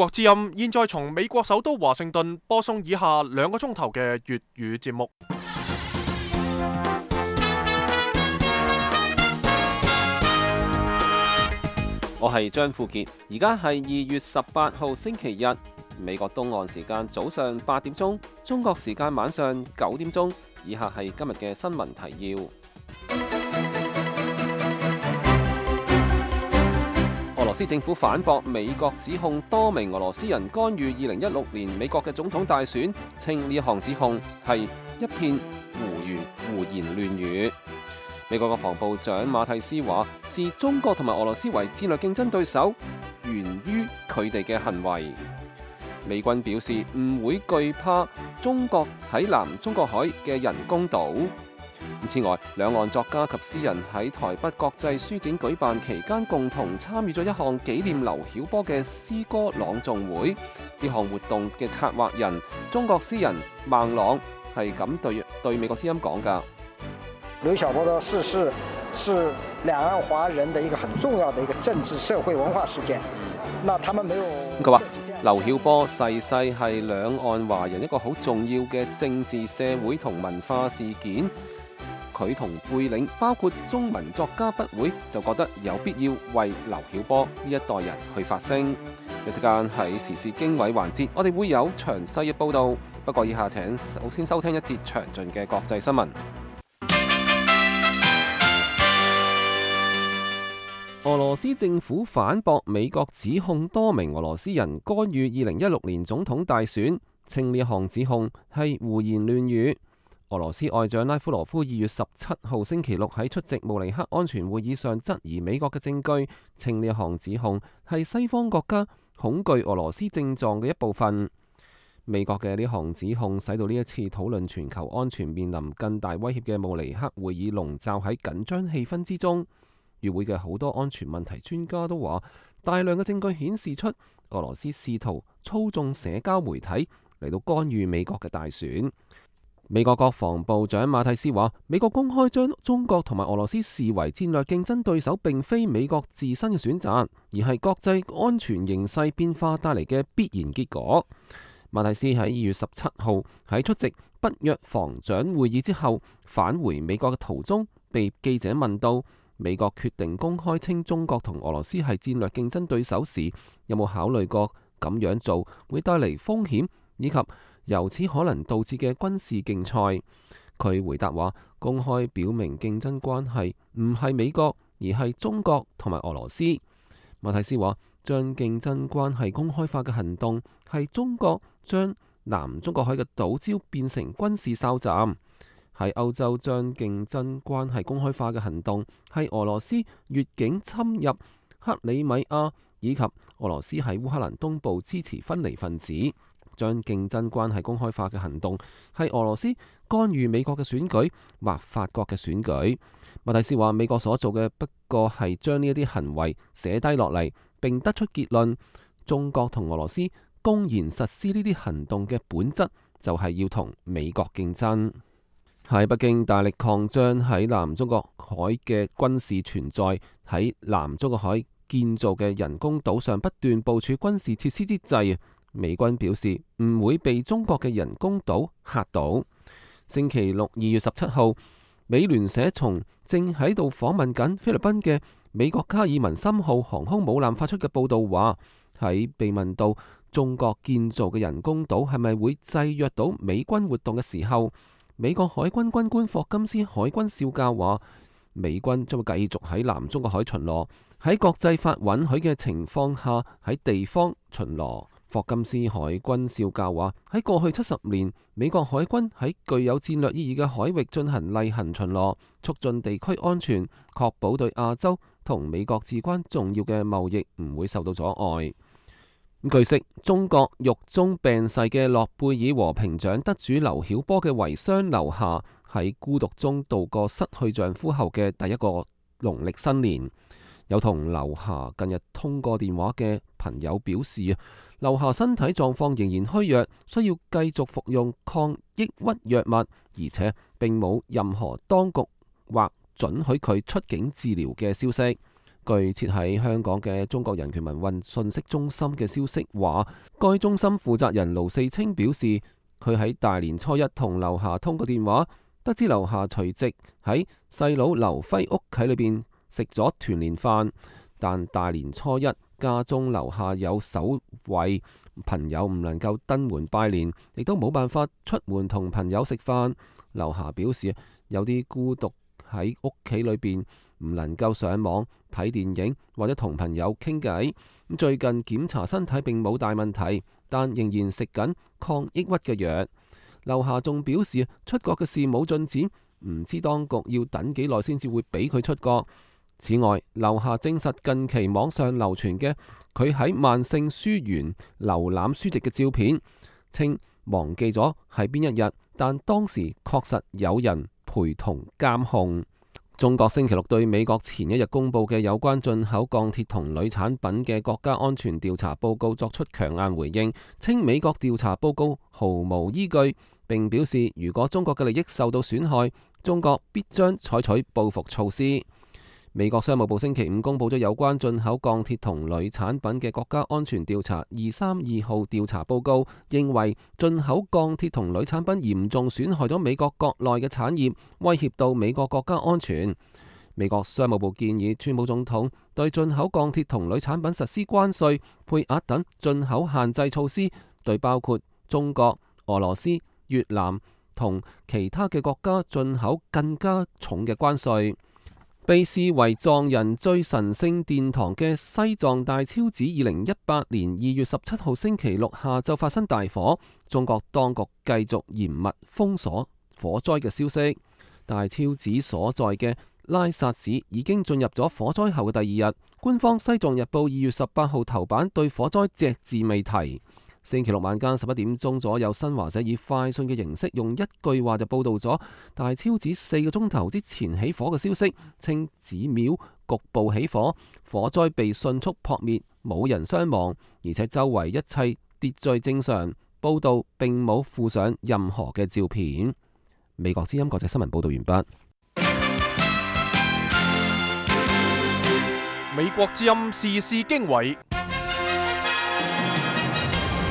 國之音現在從美國首都華盛頓播送以下2個鐘頭嘅粵語節目。我係張富傑，而家係2月18號星期日，美國東岸時間早上8點鐘，中國時間晚上9點鐘。以下係今日嘅新聞提要。俄羅斯政府反駁美國指控多名俄羅斯人干預2016年美國嘅總統大選，稱呢一項指控係一片胡言亂語。美國國防部長馬蒂斯話，視中國同埋俄羅斯為戰略競爭對手，源於佢哋嘅行為。美軍表示唔會懼怕中國喺南中國海嘅人工島。此外，兩岸作家及詩人喺台北國際書展舉辦期間，共同參與咗一項紀念劉曉波嘅詩歌朗誦會。呢項活動嘅策劃人中國詩人孟朗係咁對美國之音講㗎。劉曉波的逝世是兩岸華人的一個很重要的一個政治社會文化事件。那他們沒有。佢話劉曉波逝世係兩岸華人一個好重要嘅政治、社會同文化事件。佢同背領包括中文作家不會就覺得有必要為劉曉波呢一代人去發聲。有時間喺時事經緯環節，我哋會有詳細嘅報導。不過以下請首先收聽一節詳盡嘅國際新聞。俄羅斯政府反駁美國指控多名俄羅斯人干預2016年總統大選，稱呢一項指控係胡言亂語。俄羅斯外長拉夫羅夫2月17號星期六喺出席慕尼黑安全會議上質疑美國嘅證據，稱呢一項指控係西方國家恐懼俄羅斯症狀嘅一部分。美國嘅呢項指控使到呢一次討論全球安全面臨更大威脅嘅慕尼黑會議籠罩喺緊張氣氛之中。與會嘅好多安全問題專家都話，大量嘅證據顯示出俄羅斯試圖操縱社交媒體嚟到干預美國嘅大選。美國國防部長馬蒂斯話，美國公開將中國同埋俄羅斯視為戰略競爭對手，並非美國自身嘅選擇，而係國際安全形勢變化帶嚟嘅必然結果。馬蒂斯喺2月17號喺出席北約防長會議之後返回美國嘅途中，被記者問到美國決定公開稱中國同俄羅斯係戰略競爭對手時，有冇考慮過咁樣做會帶嚟風險，以及由此可能導致嘅軍事競賽？佢回答話，公開表明競爭關係唔係美國，而係中國同埋俄羅斯。馬蒂斯話，將競爭關係公開化嘅行動係中國將南中國海嘅島礁變成軍事哨站。喺歐洲將競爭關係公開化嘅行動係俄羅斯越境侵入克里米亞，以及俄羅斯喺烏克蘭東部支持分離分子。將競爭關係公開化嘅行動係俄羅斯干預美國嘅選舉或法國嘅選舉。馬蒂斯話，美國所做嘅不過係將呢一啲行為寫低落嚟，並得出結論。中國同俄羅斯公然實施呢啲行動嘅本質就係要同美國競爭。喺北京大力擴張喺南中國海嘅軍事存在，喺南中國海建造嘅人工島上不斷部署軍事設施之際，美軍表示唔會被中國嘅人工島嚇到。星期六2月17號，美聯社從正喺度訪問緊菲律賓嘅美國卡爾文森號航空母艦發出嘅報道話，喺被問到中國建造嘅人工島係咪會制約到美軍活動嘅時候，美國海軍軍官霍金斯海軍少校話，美軍將會繼續喺南中國海巡邏，喺國際法允許嘅情況下喺地方巡邏。霍金斯海軍少校話，喺過去70年，美國海軍喺具有戰略意義嘅海域進行例行巡邏，促進地區安全，確保對亞洲同美國至關重要嘅貿易唔會受到阻礙。據悉，中國獄中病逝嘅諾貝爾和平獎得主劉曉波嘅遺孀劉霞喺孤獨中度過失去丈夫後嘅第一個農曆新年。有同劉霞近日通過電話嘅朋友表示，劉霞身體狀況仍然虛弱，需要繼續服用抗抑鬱藥物，而且並冇任何當局或准許佢出境治療嘅消息。據設喺香港嘅中國人權民運信息中心嘅消息話，該中心負責人盧四清表示，佢喺大年初一同劉霞通過電話，得知劉霞隨即喺細佬劉輝屋企裏邊食咗團年飯，但大年初一家中樓下有守衛，朋友唔能夠登門拜年，亦都冇辦法出門同朋友食飯。劉霞表示有啲孤獨喺屋企裏邊，唔能夠上網睇電影或者同朋友傾偈。最近檢查身體並冇大問題，但仍然食緊抗抑鬱嘅藥。劉霞仲表示出國嘅事冇進展，唔知當局要等幾耐先至會俾佢出國。此外，劉霞證實近期網上流傳嘅佢喺萬聖書園瀏覽書籍嘅照片，稱忘記咗係邊一日，但當時確實有人陪同監控。中國星期六對美國前一日公布嘅有關進口鋼鐵同鋁產品嘅國家安全調查報告作出強硬回應，稱美國調查報告毫無依據，並表示如果中國嘅利益受到損害，中國必將採取報復措施。美國商務部星期五公布咗有關進口鋼鐵同鋁產品嘅國家安全調查232號調查報告，認為進口鋼鐵同鋁產品嚴重損害咗美國國內嘅產業，威脅到美國國家安全。美國商務部建議川普總統對進口鋼鐵同鋁產品實施關稅、配額等進口限制措施，對包括中國、俄羅斯、越南同其他嘅國家進口更加重嘅關稅。被視為藏人最神聖殿堂嘅西藏大昭寺2018年2月17號星期六下晝發生大火，中國當局繼續嚴密封鎖火災嘅消息。大昭寺所在嘅拉薩市已經進入咗火災後嘅第二日，官方《西藏日報》2月18號頭版對火災隻字未提。星期六晚間11點鐘左右，新華社以快訊嘅形式用一句話就報道咗大昭寺4個鐘頭之前起火嘅消息，稱寺廟局部起火，火災被迅速撲滅，冇人傷亡，而且周圍一切秩序正常。報道並冇附上任何嘅照片。美國之音國際新聞報道完畢。美國之音時事經緯。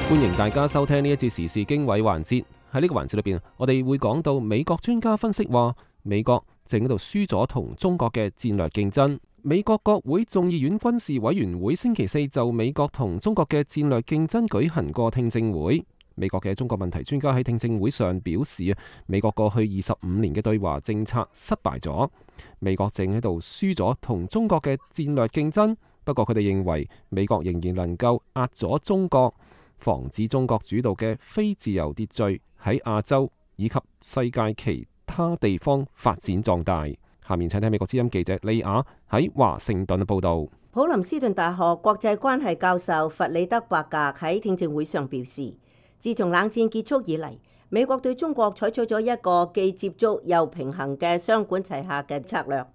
歡迎大家收聽呢一節時事經緯環節。喺呢個環節裏邊，我哋會講到美國專家分析話，美國正喺度輸咗同中國嘅戰略競爭。美國國會眾議院軍事委員會星期四就美國同中國嘅戰略競爭舉行過聽證會。美國嘅中國問題專家喺聽證會上表示，美國過去25年嘅對華政策失敗咗，美國正喺度輸咗同中國嘅戰略競爭。不過佢哋認為美國仍然能夠壓咗中國，防止中國主導嘅非自由秩序喺亞洲以及世界其他地方發展壯大。下面請聽美國之音記者利亞喺華盛頓嘅報道。普林斯頓大學國際關係教授弗里德伯格喺聽證會上表示，自從冷戰結束以嚟，美國對中國採取咗一個既接觸又平衡嘅雙管齊下嘅策略，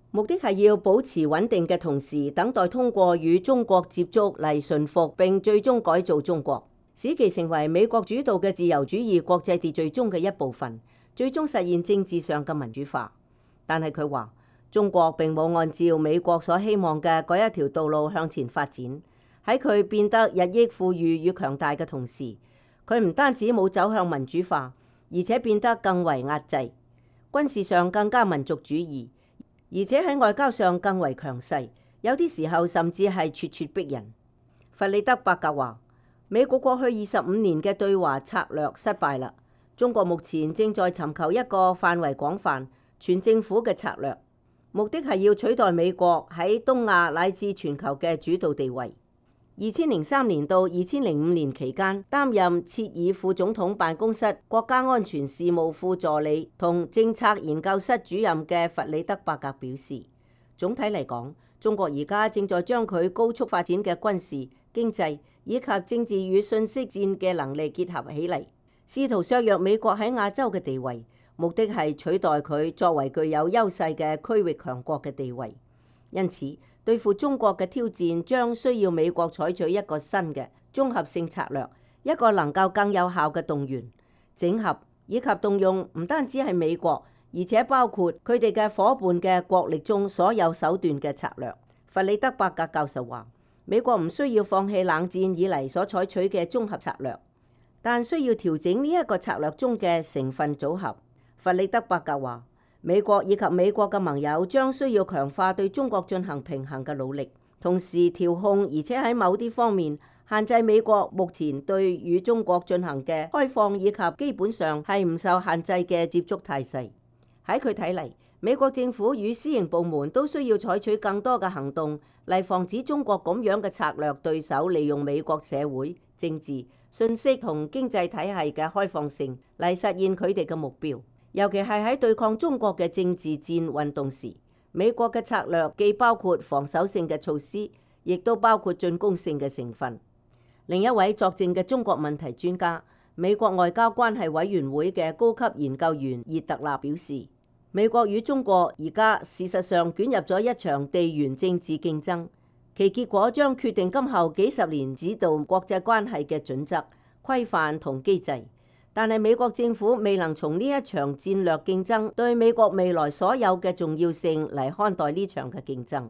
目的係要保持穩定嘅同時，等待通過與中國接觸嚟馴服並最終改造中國，使其成為美國主導嘅自由主義國際秩序中嘅一部分，最終實現政治上嘅民主化。但係佢話，中國並冇按照美國所希望嘅嗰一條道路向前發展。喺佢變得日益富裕與強大嘅同時，佢唔單止冇走向民主化，而且變得更為壓制，軍事上更加民族主義，而且喺外交上更為強勢，有啲時候甚至係咄咄逼人。弗里德伯格話，美國過去25年嘅對華策略失敗啦，中國目前正在尋求一個範圍廣泛、全政府嘅策略，目的係要取代美國喺東亞乃至全球嘅主導地位。2003年到2005年期間，擔任切爾副總統辦公室國家安全事務副助理同政策研究室主任嘅弗里德伯格表示，總體嚟講，中國而家正在將佢高速發展嘅軍事、經濟以及政治與信息戰嘅能力結合起嚟，試圖削弱美國喺亞洲嘅地位，目的係取代佢作為具有優勢嘅區域強國嘅地位。因此，對付中國嘅挑戰將需要美國採取一個新嘅綜合性策略，一個能夠更有效嘅動員、整合以及動用唔單止係美國，而且包括佢哋嘅夥伴嘅國力中所有手段嘅策略。弗里德伯格教授話：美國唔需要放棄冷戰以嚟所採取嘅綜合策略，但需要調整呢一個策略中嘅成分組合。弗里德伯格話：美國以及美國嘅盟友將需要強化對中國進行平衡嘅努力，同時調控，而且喺某啲方面限制美國目前對與中國進行嘅開放以及基本上係唔受限制嘅接觸態勢。喺佢睇嚟，美國政府與私營部門都需要採取更多嘅行動，嚟防止中國咁樣嘅策略對手利用美國社會、政治、信息同經濟體系嘅開放性嚟實現佢哋嘅目標。尤其係喺對抗中國嘅政治戰運動時，美國嘅策略既包括防守性嘅措施，亦都包括進攻性嘅成分。另一位作證嘅中國問題專家、美國外交關係委員會嘅高級研究員葉特納表示，美國與中國而家事實上捲入咗一場地緣政治競爭，其結果將決定今後幾十年指導國際關係嘅準則、規範同機制。但係美國政府未能從呢一場戰略競爭對美國未來所有嘅重要性嚟看待呢場嘅競爭。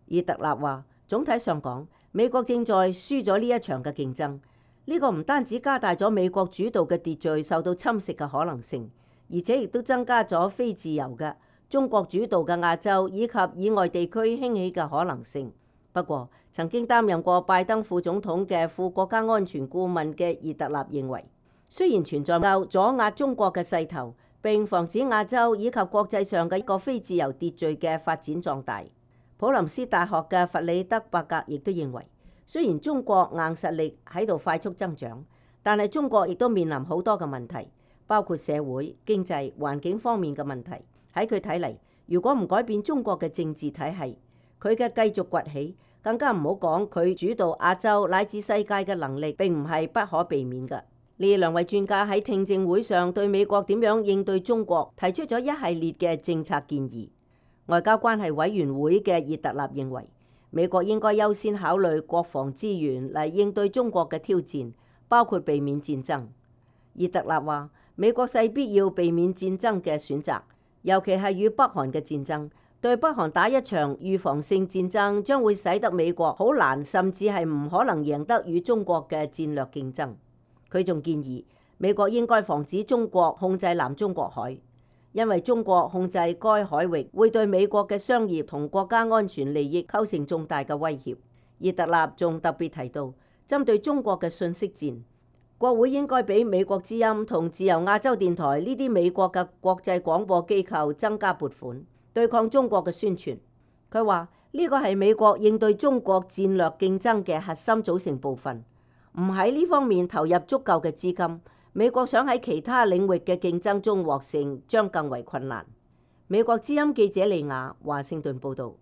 葉特納話：總體上講，美國正在輸咗呢一場嘅競爭，呢個唔單止加大咗美國主導嘅秩序受到侵蝕嘅可能性，而且亦都增加咗非自由嘅中國主導嘅亞洲以及以外地區興起嘅可能性。不過，曾經擔任過拜登副總統嘅副國家安全顧問嘅葉特納認為，雖然存在夠阻壓中國嘅勢頭，並防止亞洲以及國際上嘅一個非自由秩序嘅發展壯大。普林斯大學嘅弗里德伯格亦都認為，雖然中國硬實力喺度快速增長，但係中國亦都面臨好多嘅問題，包括社會、經濟、環境方面嘅問題。喺佢睇嚟，如果唔改變中國嘅政治體系，佢嘅繼續崛起，更加唔好講佢主導亞洲乃至世界嘅能力，並唔係不可避免嘅。呢兩位專家喺聽證會上對美國點樣應對中國提出咗一系列嘅政策建議。外交關係委員會嘅葉特納認為，美國應該優先考慮國防資源嚟應對中國嘅挑戰，包括避免戰爭。葉特納話：美國勢必要避免戰爭嘅選擇，尤其係與北韓嘅戰爭。對北韓打一場預防性戰爭，將會使得美國好難，甚至係唔可能贏得與中國嘅戰略競爭。佢仲建議美國應該防止中國控制南中國海，因為中國控制該海域會對美國嘅商業同國家安全利益構成重大嘅威脅。葉特納仲特別提到，針對中國嘅信息戰，國會應該俾美國之音同自由亞洲電台呢啲美國嘅國際廣播機構增加撥款，對抗中國嘅宣傳。佢話呢個係美國應對中國戰略競爭嘅核心組成部分，唔喺呢方面投入足夠嘅資金，美國想喺其他領域嘅競爭中獲勝將更為困難。美國之音記者利亞華盛頓報導。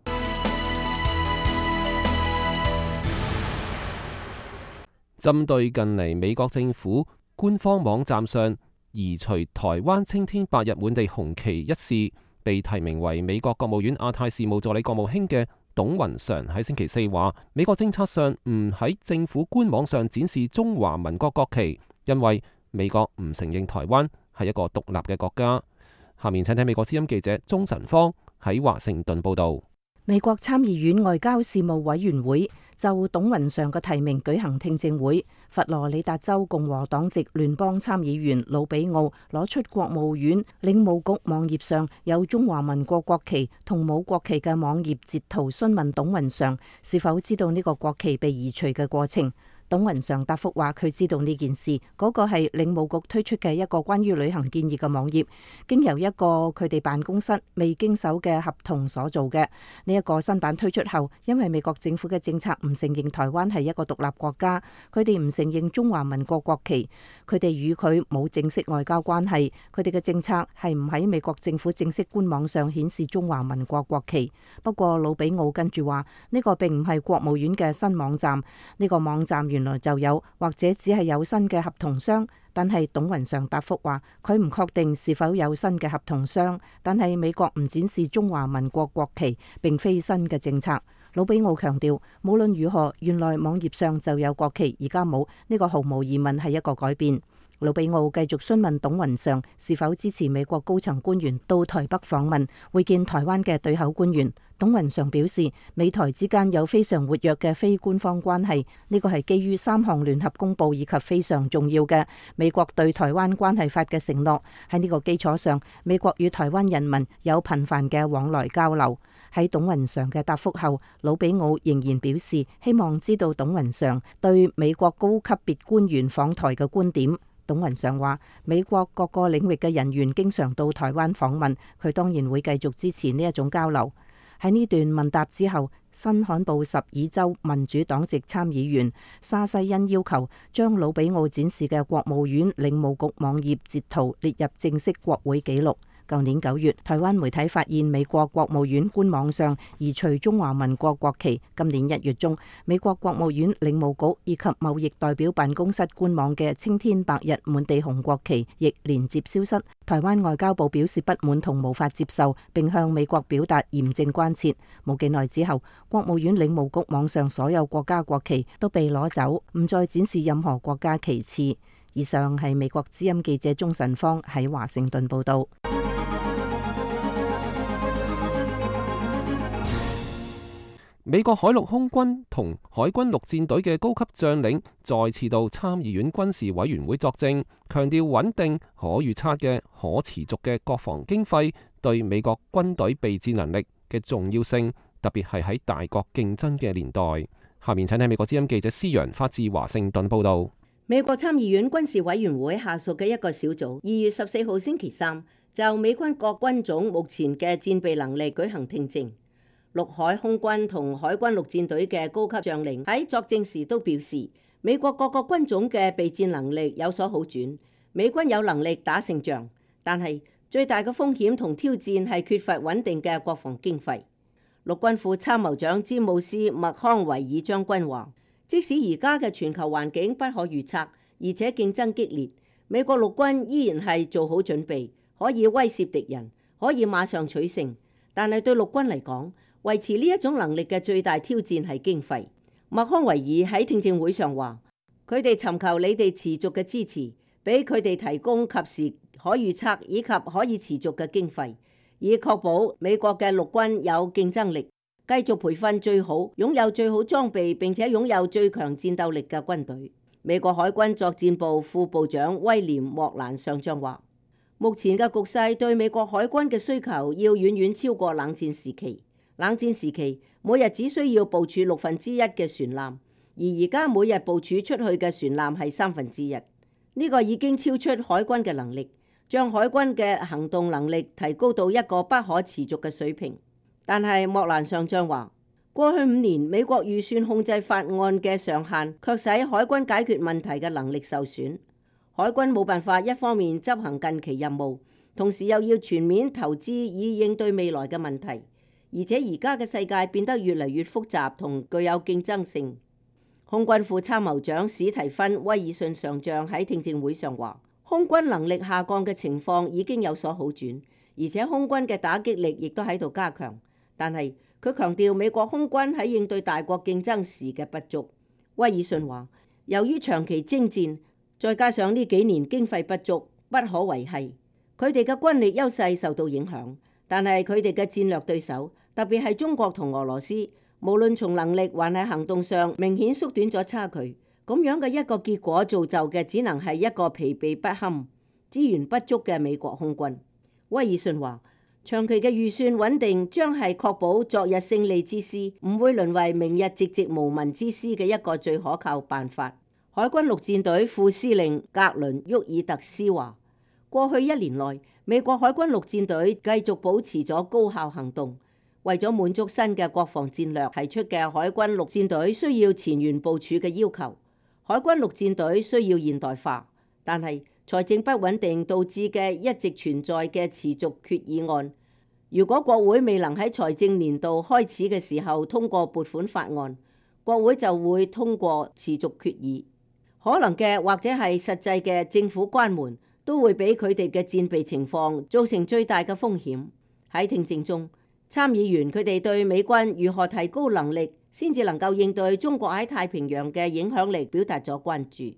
針對近嚟美國政府官方網站上移除台灣青天白日滿地紅旗一事，被提名為美國國務院亞太事務助理國務卿嘅董雲常喺星期四話，美國政策上唔喺政府官網上展示中華民國國旗，因為美國唔承認台灣係一個獨立嘅國家。下面請睇美國之音記者鍾晨芳喺華盛頓報道。美國參議院外交事務委員會就董雲常嘅提名舉行聽證會，佛羅里達州共和黨籍聯邦參議員魯比奧攞出國務院領務局網頁上有中華民國國旗同冇國旗嘅網頁截圖，詢問董雲常是否知道呢個國旗被移除嘅過程。董雲常答覆話佢知道呢件事，嗰個係領務局推出嘅一個關於旅行建議嘅網頁，經由一個佢哋辦公室未經手嘅合同所做嘅。呢一個新版推出後，因為美國政府嘅政策唔承認台灣係一個獨立國家，佢哋唔承認中華民國國旗，佢哋與佢冇正式外交關係，佢哋嘅政策係唔喺美國政府正式官網上顯示中華民國國旗。不過魯比奧跟住話呢個並唔係國務院嘅新網站，呢個網站原來就有或者只係有新嘅合同商，但係董雲常答覆話佢唔確定是否有新嘅合同商，但係美國唔展示中華民國國旗並非新嘅政策。魯比奧強調，無論如何，原來網頁上就有國旗，而家冇，呢個毫無疑問係一個改變。魯比奧繼續詢問董雲常是否支持美國高層官員到台北訪問會見台灣嘅對口官員。董雲常表示，美台之間有非常活躍嘅非官方關係，呢個係基於3項聯合公報以及非常重要嘅美國對台灣關係法嘅承諾。喺呢個基礎上，美國與台灣人民有頻繁嘅往來交流。喺董雲常嘅答覆後，魯比奧仍然表示希望知道董雲常對美國高級別官員訪台嘅觀點。董雲常話，美國各個領域嘅人員經常到台灣訪問，佢當然會繼續支持呢一種交流。喺呢段問答之後，新罕布什爾州民主黨籍參議員沙西恩要求將魯比奧展示嘅國務院領務局網頁截圖列入正式國會紀錄。舊年9月，台灣媒體發現美國國務院官網上移除中華民國國旗。今年1月中，美國國務院領務局以及貿易代表辦公室官網嘅青天白日滿地紅國旗亦連接消失。台灣外交部表示不滿同無法接受，並向美國表達嚴正關切。冇幾耐之後，國務院領務局網上所有國家國旗都被攞走，唔再展示任何國家旗幟。以上係美國之音記者鍾晨芳喺華盛頓報道。美國海陸空軍同海軍陸戰隊嘅高級將領再次到參議院軍事委員會作證，強調穩定、可預測嘅可持續嘅國防經費對美國軍隊備戰能力嘅重要性，特別係喺大國競爭嘅年代。下面請睇美國之音記者施陽發自華盛頓報道。美國參議院軍事委員會下屬嘅一個小組2月14號星期三就美軍各軍種目前嘅戰備能力舉行聽證。陸海空軍同海軍陸戰隊嘅高級將領喺作證時都表示，美國各個軍種嘅備戰能力有所好轉，美軍有能力打勝仗，但係最大嘅風險同挑戰係缺乏穩定嘅國防經費。陸軍副參謀長詹姆斯麥康維爾將軍話，即使而家嘅全球環境不可預測，而且競爭激烈，美國陸軍依然係做好準備，可以威懾敵人，可以馬上取勝。但係對陸軍嚟講，維持呢一種能力嘅最大挑戰係經費。麥康維爾喺聽證會上話，佢哋尋求你哋持續嘅支持，俾佢哋提供及時、可預測以及可以持續嘅經費，以確保美國嘅陸軍有競爭力，繼續培訓最好、擁有最好裝備並且擁有最強戰鬥力嘅軍隊。美國海軍作戰部副部長威廉莫蘭上將話，目前嘅局勢對美國海軍嘅需求要遠遠超過冷戰時期。冷戰時期，每日只需要部署1/6嘅船艦，而而家每日部署出去嘅船艦係1/3。呢個已經超出海軍嘅能力，將海軍嘅行動能力提高到一個不可持續嘅水平。但係莫蘭上將話，過去5年美國預算控制法案嘅上限，卻使海軍解決問題嘅能力受損。海軍冇辦法一方面執行近期任務，同時又要全面投資以應對未來嘅問題。而且而家嘅世界變得越嚟越複雜同具有競爭性。空軍副參謀長史提芬威爾遜上將喺聽證會上話，空軍能力下降嘅情況已經有所好轉，而且空軍嘅打擊力亦都喺度加強。但係佢強調美國空軍喺應對大國競爭時嘅不足。威爾遜話，由於長期征戰，再加上呢幾年經費不足，不可維繫，佢哋嘅軍力優勢受到影響。但係佢哋嘅戰略對手，特別係中國同俄羅斯，無論從能力還係行動上，明顯縮短咗差距。咁樣嘅一個結果造就嘅，只能係一個疲憊不堪、資源不足嘅美國空軍。威爾遜話，長期嘅預算穩定將係確保昨日勝利之師唔會淪為明日寂寂無聞之師嘅一個最可靠辦法。海軍陸戰隊副司令格倫沃爾特斯話，過去1年內，美國海軍陸戰隊繼續保持咗高效行動，為咗滿足新嘅國防戰略提出嘅海軍陸戰隊需要前沿部署嘅要求。海軍陸戰隊需要現代化，但係財政不穩定導致嘅一直存在嘅持續決議案，如果國會未能喺財政年度開始嘅時候通過撥款法案，國會就會通過持續決議。可能嘅或者係實際嘅政府關門，都會俾佢哋嘅戰備情況造成最大嘅風險。喺聽證中，參議員佢哋對美軍如何提高能力，先至能夠應對中國喺太平洋嘅影響力表達咗關注。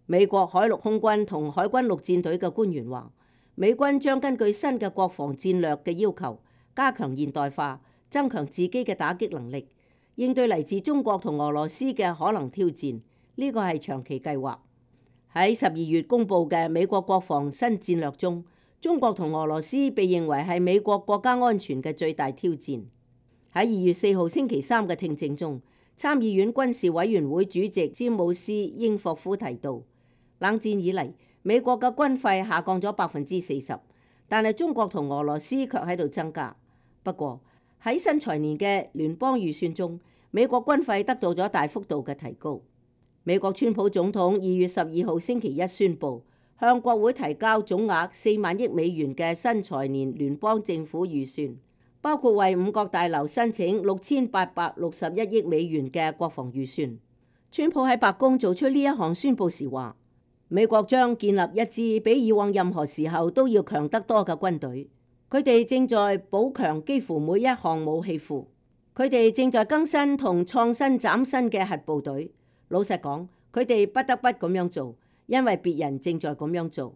美國海陸空軍同海軍陸戰隊嘅官員話，美軍將根據新嘅國防戰略嘅要求，加強現代化，增強自己嘅打擊能力，應對嚟自中國同俄羅斯嘅可能挑戰。呢個係長期計劃。喺12月公佈嘅美國國防新戰略中，中國同俄羅斯被認為係美國國家安全嘅最大挑戰。喺2月4號星期三嘅聽證中，參議院軍事委員會主席詹姆斯英霍夫提到，冷戰以嚟，美國嘅軍費下降咗40%，但係中國同俄羅斯卻喺度增加。不過喺新財年嘅聯邦預算中，美國軍費得到咗大幅度嘅提高。美國川普總統2月12號星期一宣布，向國會提交總額4萬億美元嘅新財年聯邦政府預算，包括為5角大樓申請6861億美元嘅國防預算。川普喺白宮做出呢一項宣佈時話，美國將建立一支比以往任何時候都要強得多嘅軍隊。佢哋正在補強幾乎每一項武器庫，佢哋正在更新同創新嶄新嘅核部隊。老實講，佢哋不得不咁樣做，因為別人正在咁樣做。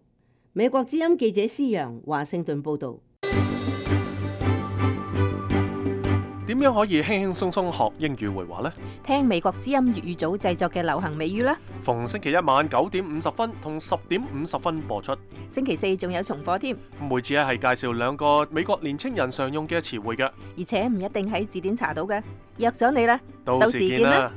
美國之音記者施洋華盛頓報導。點樣可以輕輕鬆鬆學英語會話呢？聽美國之音粵語組製作嘅流行美語啦。逢星期一晚9點50分同10點50分播出。星期四仲有重播添。每次係介紹2個美國年青人常用嘅詞彙嘅，而且唔一定喺字典查到嘅。約咗你啦，到時見啦。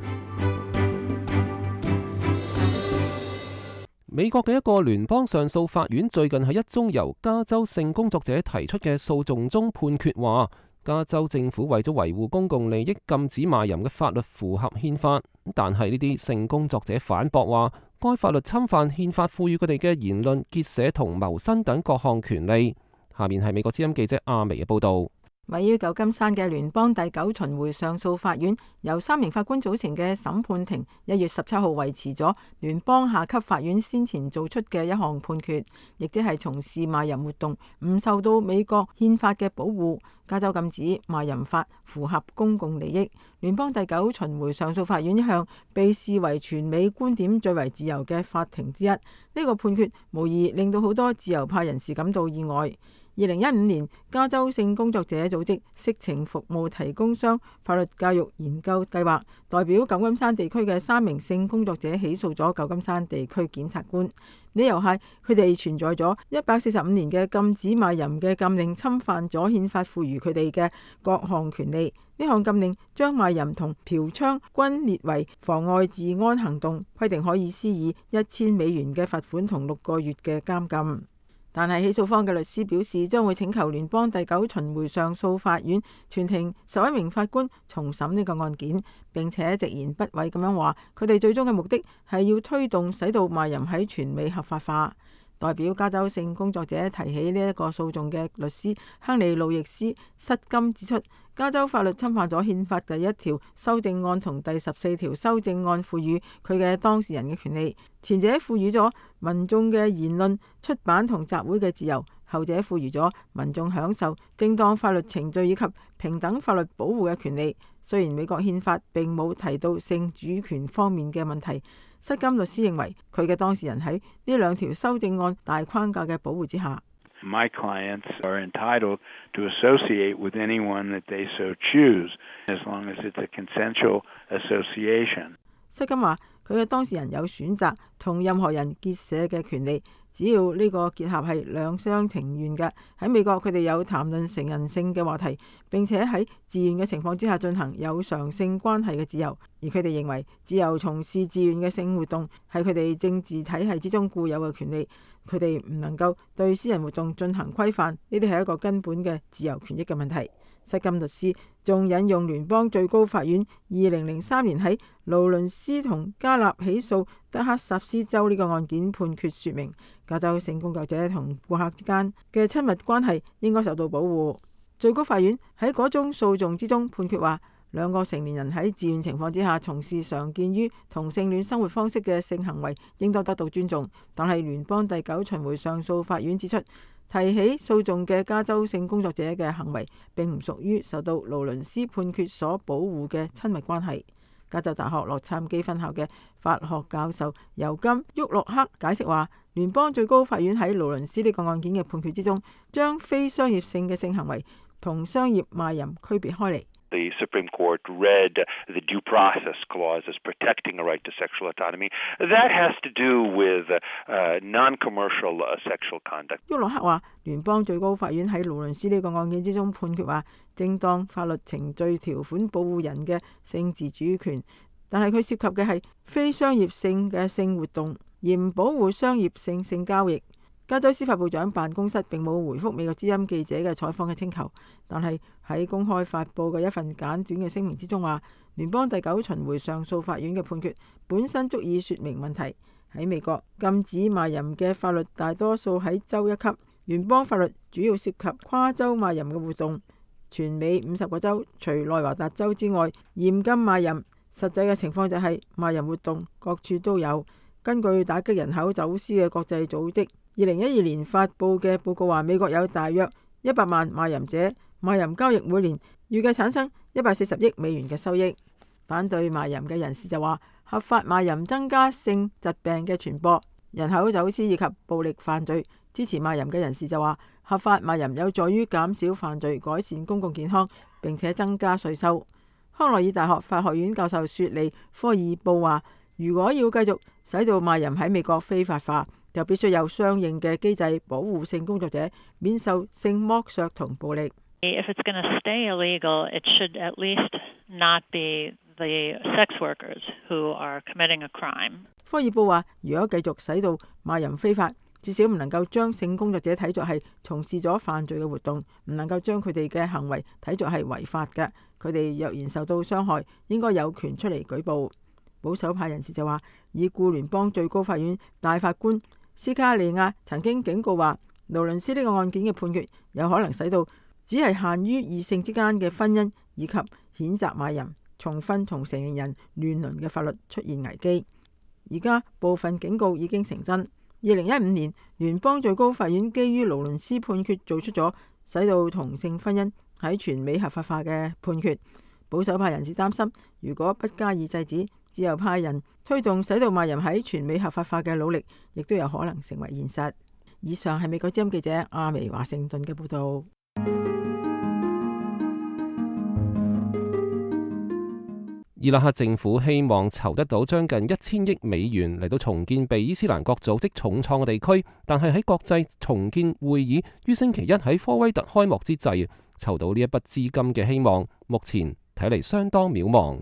美國嘅一個聯邦上訴法院最近喺一宗由加州性工作者提出嘅訴訟中判決話，加州政府為咗維護公共利益禁止賣淫嘅法律符合憲法，但係呢啲性工作者反駁話，該法律侵犯憲法賦予佢哋嘅言論、結社同謀生等各項權利。下面係美國之音記者阿薇嘅報導。位於舊金山嘅聯邦第9巡迴上訴法院由3名法官組成嘅審判庭1月17號維持咗聯邦下級法院先前做出嘅一項判決，亦即係從事賣淫活動唔受到美國憲法嘅保護，加州禁止賣淫法符合公共利益。聯邦第9巡迴上訴法院一向被視為全美觀點最為自由嘅法庭之一，呢個判決無疑令到好多自由派人士感到意外。2015年，加州性工作者組織色情服務提供商法律教育研究計劃代表舊金山地區嘅3名性工作者起訴咗舊金山地區檢察官，理由係佢哋存在咗145年嘅禁止賣淫嘅禁令，侵犯咗憲法賦予佢哋嘅各項權利。呢項禁令將賣淫同嫖娼均列為妨礙治安行動，規定可以施以1000美元嘅罰款同6個月嘅監禁。但係起訴方嘅律師表示，將會請求聯邦第9巡迴上訴法院全庭11名法官重審呢個案件，並且直言不諱咁樣話，佢哋最終嘅目的係要推動使到賣淫喺全美合法化。代表加州性工作者提起呢一個訴訟嘅律師亨利路易斯失金指出，加州法律侵犯咗憲法第1條修正案同第14條修正案賦予佢嘅當事人嘅權利，前者賦予咗民眾嘅言論、出版同集會嘅自由，後者賦予咗民眾享受正當法律程序以及平等法律保護嘅權利。雖然美國憲法並冇提到性主權方面嘅問題，失金律師認為佢嘅當事人喺呢2條修正案大框架嘅保護之下。My clients are entitled to associate with anyone that they so choose, as long as it's a consensual association. 失金話佢嘅當事人有選擇同任何人結社嘅權利，只要呢個結合係兩廂情願嘅。喺美國，佢哋有談論成人性嘅話題，並且喺自願嘅情況之下進行有償性關係嘅自由。而佢哋認為自由從事自願嘅性活動係佢哋政治體系之中固有嘅權利，佢哋唔能夠對私人活動進行規範，呢啲係一個根本嘅自由權益嘅問題。失金律師仲引用聯邦最高法院2003年喺勞倫斯同加納起訴德克薩斯州呢個案件判決，說明加州性工作者同顧客之間嘅親密關係應該受到保護。最高法院喺嗰宗訴訟之中判決話，2個成年人喺自願情況之下從事常見於同性戀生活方式嘅性行為應當得到尊重。但係聯邦第9巡迴上訴法院指出，提起訴訟嘅加州性工作者嘅行為並唔屬於受到勞倫斯判決所保護嘅親密關係。加州大學洛杉磯分校嘅法學教授尤金·沃洛克解釋話，聯邦最高法院喺勞倫斯呢個案件嘅判決之中，將非商業性嘅性行為同商業賣淫區別開嚟。The Supreme Court read the due process clause as protecting a right to sexual autonomy. That has to do with non-commercial sexual conduct. 沃洛克話，聯邦最高法院喺勞倫斯呢個案件之中判決話，正當法律程序條款保護人嘅性自主權，但係佢涉及嘅係非商業性嘅性活動，而唔保護商業性交易。加州司法部長辦公室並冇回覆美國之音記者嘅採訪嘅請求，但係喺公開發布嘅一份簡短嘅聲明之中話，聯邦第9巡迴上訴法院嘅判決本身足以說明問題。喺美國，禁止賣淫嘅法律大多數喺州一級，聯邦法律主要涉及跨州賣淫嘅活動。全美50個州除內華達州之外嚴禁賣淫，實際嘅情況就係賣淫活動各處都有。根據打擊人口走私嘅國際組織2012年發布嘅報告話，美國有大約100萬賣淫者，賣淫交易每年預計產生140億美元嘅收益。反對賣淫嘅人士就話，合法賣淫增加性疾病嘅傳播、人口走私以及暴力犯罪。支持賣淫嘅人士就話，合法賣淫有助於減少犯罪、改善公共健康，並且增加稅收。康奈爾大學法學院教授雪莉·科爾布話，如果要繼續使到賣淫喺美國非法化，就必須有相應嘅機制保護性工作者免受性剝削同暴力。If it's going to stay illegal, it should at least not be the sex workers who are committing a crime. 科爾布話，如果繼續使到賣淫非法，至少唔能夠將性工作者睇作係從事咗犯罪嘅活動，唔能夠將佢哋嘅行為睇作係違法嘅。佢哋若然受到傷害，應該有權出嚟舉報。保守派人士就話，已故聯邦最高法院大法官斯卡利亞曾經警告話，勞倫斯呢個案件嘅判決有可能使到只係限於異性之間嘅婚姻以及譴責賣淫、重婚同成年人亂倫嘅法律出現危機。而家部分警告已經成真。2015年，聯邦最高法院基於勞倫斯判決做出咗使到同性婚姻喺全美合法化嘅判決。保守派人士擔心，如果不加以制止，自由派人推動使到賣淫喺全美合法化嘅努力，亦都有可能成為現實。以上係美國之音記者阿薇華盛頓嘅報道。伊拉克政府希望籌得到將近1000億美元嚟到重建被伊斯蘭國組織重創嘅地區，但係喺國際重建會議於星期一喺科威特開幕之際，籌到呢一筆資金嘅希望，目前睇嚟相當渺茫。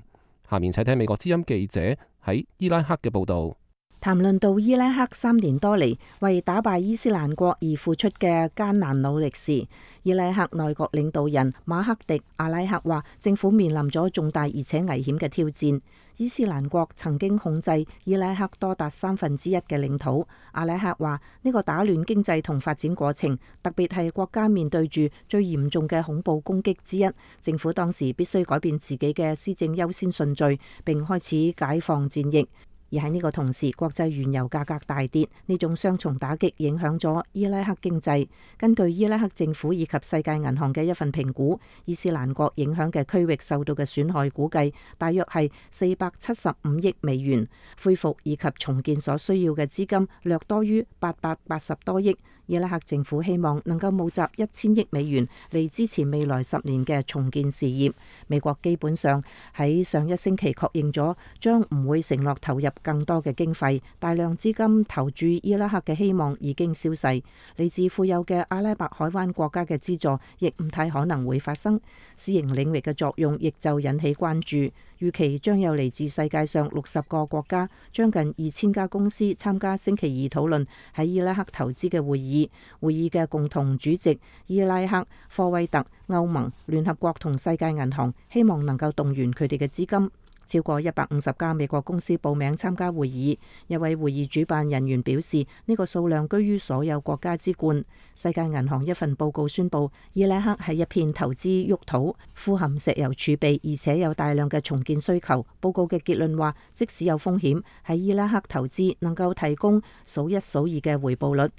下面請睇美國之音記者喺伊拉克嘅報道。談論到伊拉克3年多嚟為打敗伊斯蘭國而付出嘅艱難努力時，伊拉克內閣領導人馬克迪阿拉克話，政府面臨咗重大而且危險嘅挑戰。伊斯蘭國曾經控制伊拉克多達1/3嘅領土。阿拉克話，呢個打亂經濟同發展過程，特別係國家面對住最嚴重嘅恐怖攻擊之一，政府當時必須改變自己嘅施政優先順序，並開始解放戰役。而喺呢個同時，國際原油價格大跌，呢種雙重打擊影響咗伊拉克經濟。根據伊拉克政府以及世界銀行嘅一份評估，伊斯蘭國影響嘅區域受到嘅損害估計大約係475億美元，恢復以及重建所需要嘅資金略多於880多億。伊拉克政府希望能夠募集1000億美元嚟支持未來10年嘅重建事業。美國基本上喺上一星期確認咗，將唔會承諾投入更多嘅經費。大量資金投注伊拉克嘅希望已經消逝，嚟自富有嘅阿拉伯海灣國家嘅資助亦唔太可能會發生。私營領域嘅作用亦就引起關注。預期將有嚟自世界上60個國家，將近2000家公司參加星期二討論喺伊拉克投資嘅會議。會議嘅共同主席伊拉克、科威特、歐盟、聯合國同世界銀行希望能夠動員佢哋嘅資金。超過150家美國公司報名參加會議。一位會議主辦人員表示，呢個數量居於所有國家之冠。世界銀行一份報告宣布，伊拉克係一片投資沃土，富含石油儲備，而且有大量嘅重建需求。報告嘅結論話，即使有風險，喺伊拉克投資能夠提供數一數二嘅回報率。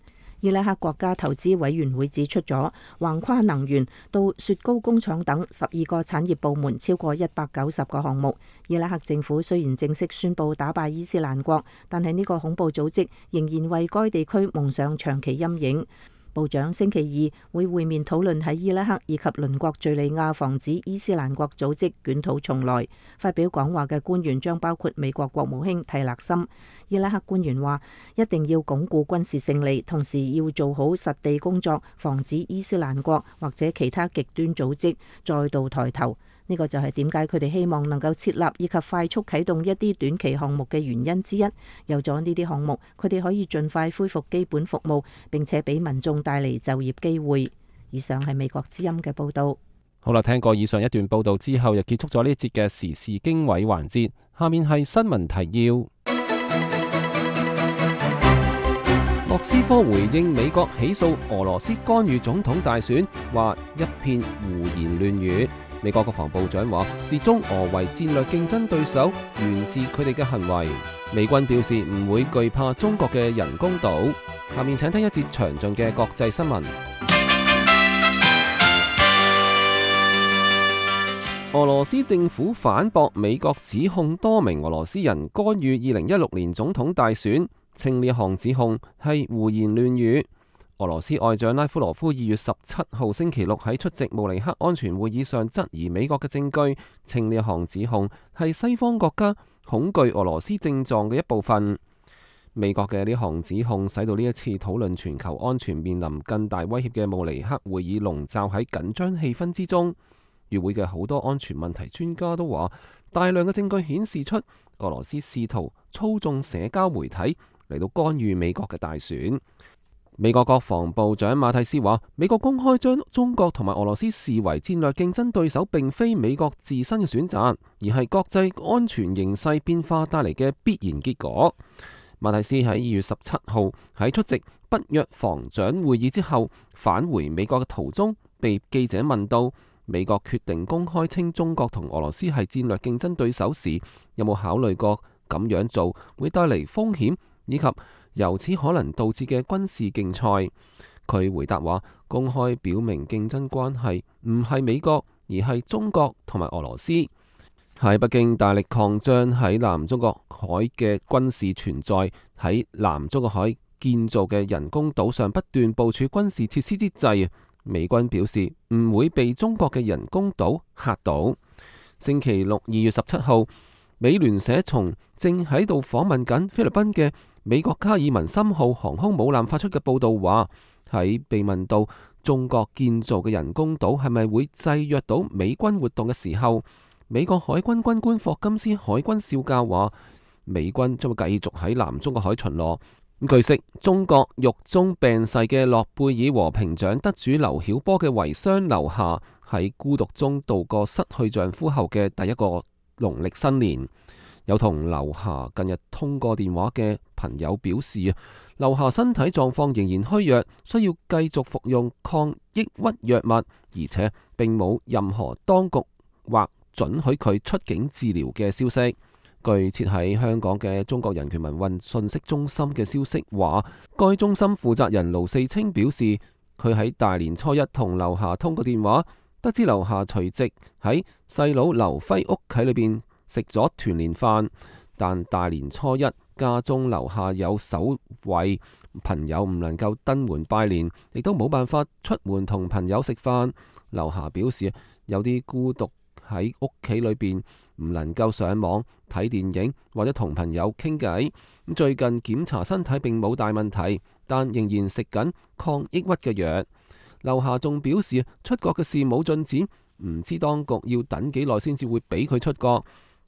伊拉克國家投資委員會指出咗，橫跨能源到雪糕工廠等12個產業部門超過190個項目。伊拉克政府雖然正式宣布打敗伊斯蘭國，但係呢個恐怖組織仍然為該地區蒙上長期陰影。部長星期二會會面討論喺伊拉克以及鄰國敘利亞防止伊斯蘭國組織捲土重來。發表講話嘅官員將包括美國國務卿蒂勒森。伊拉克官員話一定要鞏固軍事勝利，同時要做好實地工作，防止伊斯蘭國或者其他極端組織再度抬頭。呢個就係點解佢哋希望能夠設立以及快速啟動一啲短期項目嘅原因之一。有咗呢啲項目，佢哋可以盡快恢復基本服務，並且俾民眾帶嚟就業機會。以上係美國之音嘅報導。好啦，聽過以上一段報導之後，又結束咗呢一節嘅時事經緯環節。下面係新聞提要。莫斯科回應美國起訴俄羅斯干預總統大選，話一片胡言亂語。美國國防部長話視中俄為戰略競爭對手，源自佢哋嘅行為。美軍表示唔會懼怕中國嘅人工島。下面請聽一節詳盡嘅國際新聞。俄羅斯政府反駁美國指控多名俄羅斯人干預2016年總統大選，稱呢項指控係胡言亂語。俄羅斯外長拉夫羅夫2月17號星期六喺出席慕尼黑安全會議上質疑美國嘅證據，稱呢項指控係西方國家恐懼俄羅斯症狀嘅一部分。美國嘅呢項指控使到呢一次討論全球安全面臨更大威脅嘅慕尼黑會議籠罩喺緊張氣氛之中。與會嘅好多安全問題專家都話，大量嘅證據顯示出俄羅斯試圖操縱社交媒體嚟到干預美國嘅大選。美國國防部長馬蒂斯話，美國公開將中國同埋俄羅斯視為戰略競爭對手，並非美國自身嘅選擇，而係國際安全形勢變化帶嚟嘅必然結果。馬蒂斯喺2月17號喺出席北約防長會議之後返回美國嘅途中，被記者問到美國決定公開稱中國同俄羅斯係戰略競爭對手時，有冇考慮過咁樣做會帶嚟風險，以及由此可能導致嘅軍事競賽？佢回答話，公開表明競爭關係唔係美國，而係中國同埋俄羅斯。喺北京大力擴張喺南中國海嘅軍事存在，喺南中國海建造嘅人工島上不斷部署軍事設施之際，美軍表示唔會被中國嘅人工島嚇到。星期六2月17號，美聯社從正喺度訪問緊菲律賓嘅美國卡爾文森號航空母艦發出嘅報道話，喺被問到中國建造嘅人工島係咪會制約到美軍活動嘅時候，美國海軍軍官霍金斯海軍少校話，美軍將會繼續喺南中國海巡邏。據悉，中國獄中病逝嘅諾貝爾和平獎得主劉曉波嘅遺孀劉霞喺孤獨中度過失去丈夫後嘅第一個農曆新年。有同劉霞近日通過電話嘅朋友表示，劉霞身體狀況仍然虛弱，需要繼續服用抗抑鬱藥物，而且並冇任何當局或准許佢出境治療嘅消息。據設喺香港嘅中國人權民運信息中心嘅消息話，該中心負責人盧四清表示，佢喺大年初一同劉霞通過電話，得知劉霞隨即喺細佬劉輝屋企裏邊食咗團年飯，但大年初一家中樓下有守衛，朋友唔能夠登門拜年，亦都冇辦法出門同朋友食飯。劉霞表示有啲孤獨喺屋企裏邊，唔能夠上網睇電影或者同朋友傾偈。最近檢查身體並冇大問題，但仍然食緊抗抑鬱嘅藥。劉霞仲表示出國嘅事冇進展，唔知當局要等幾耐先至會俾佢出國。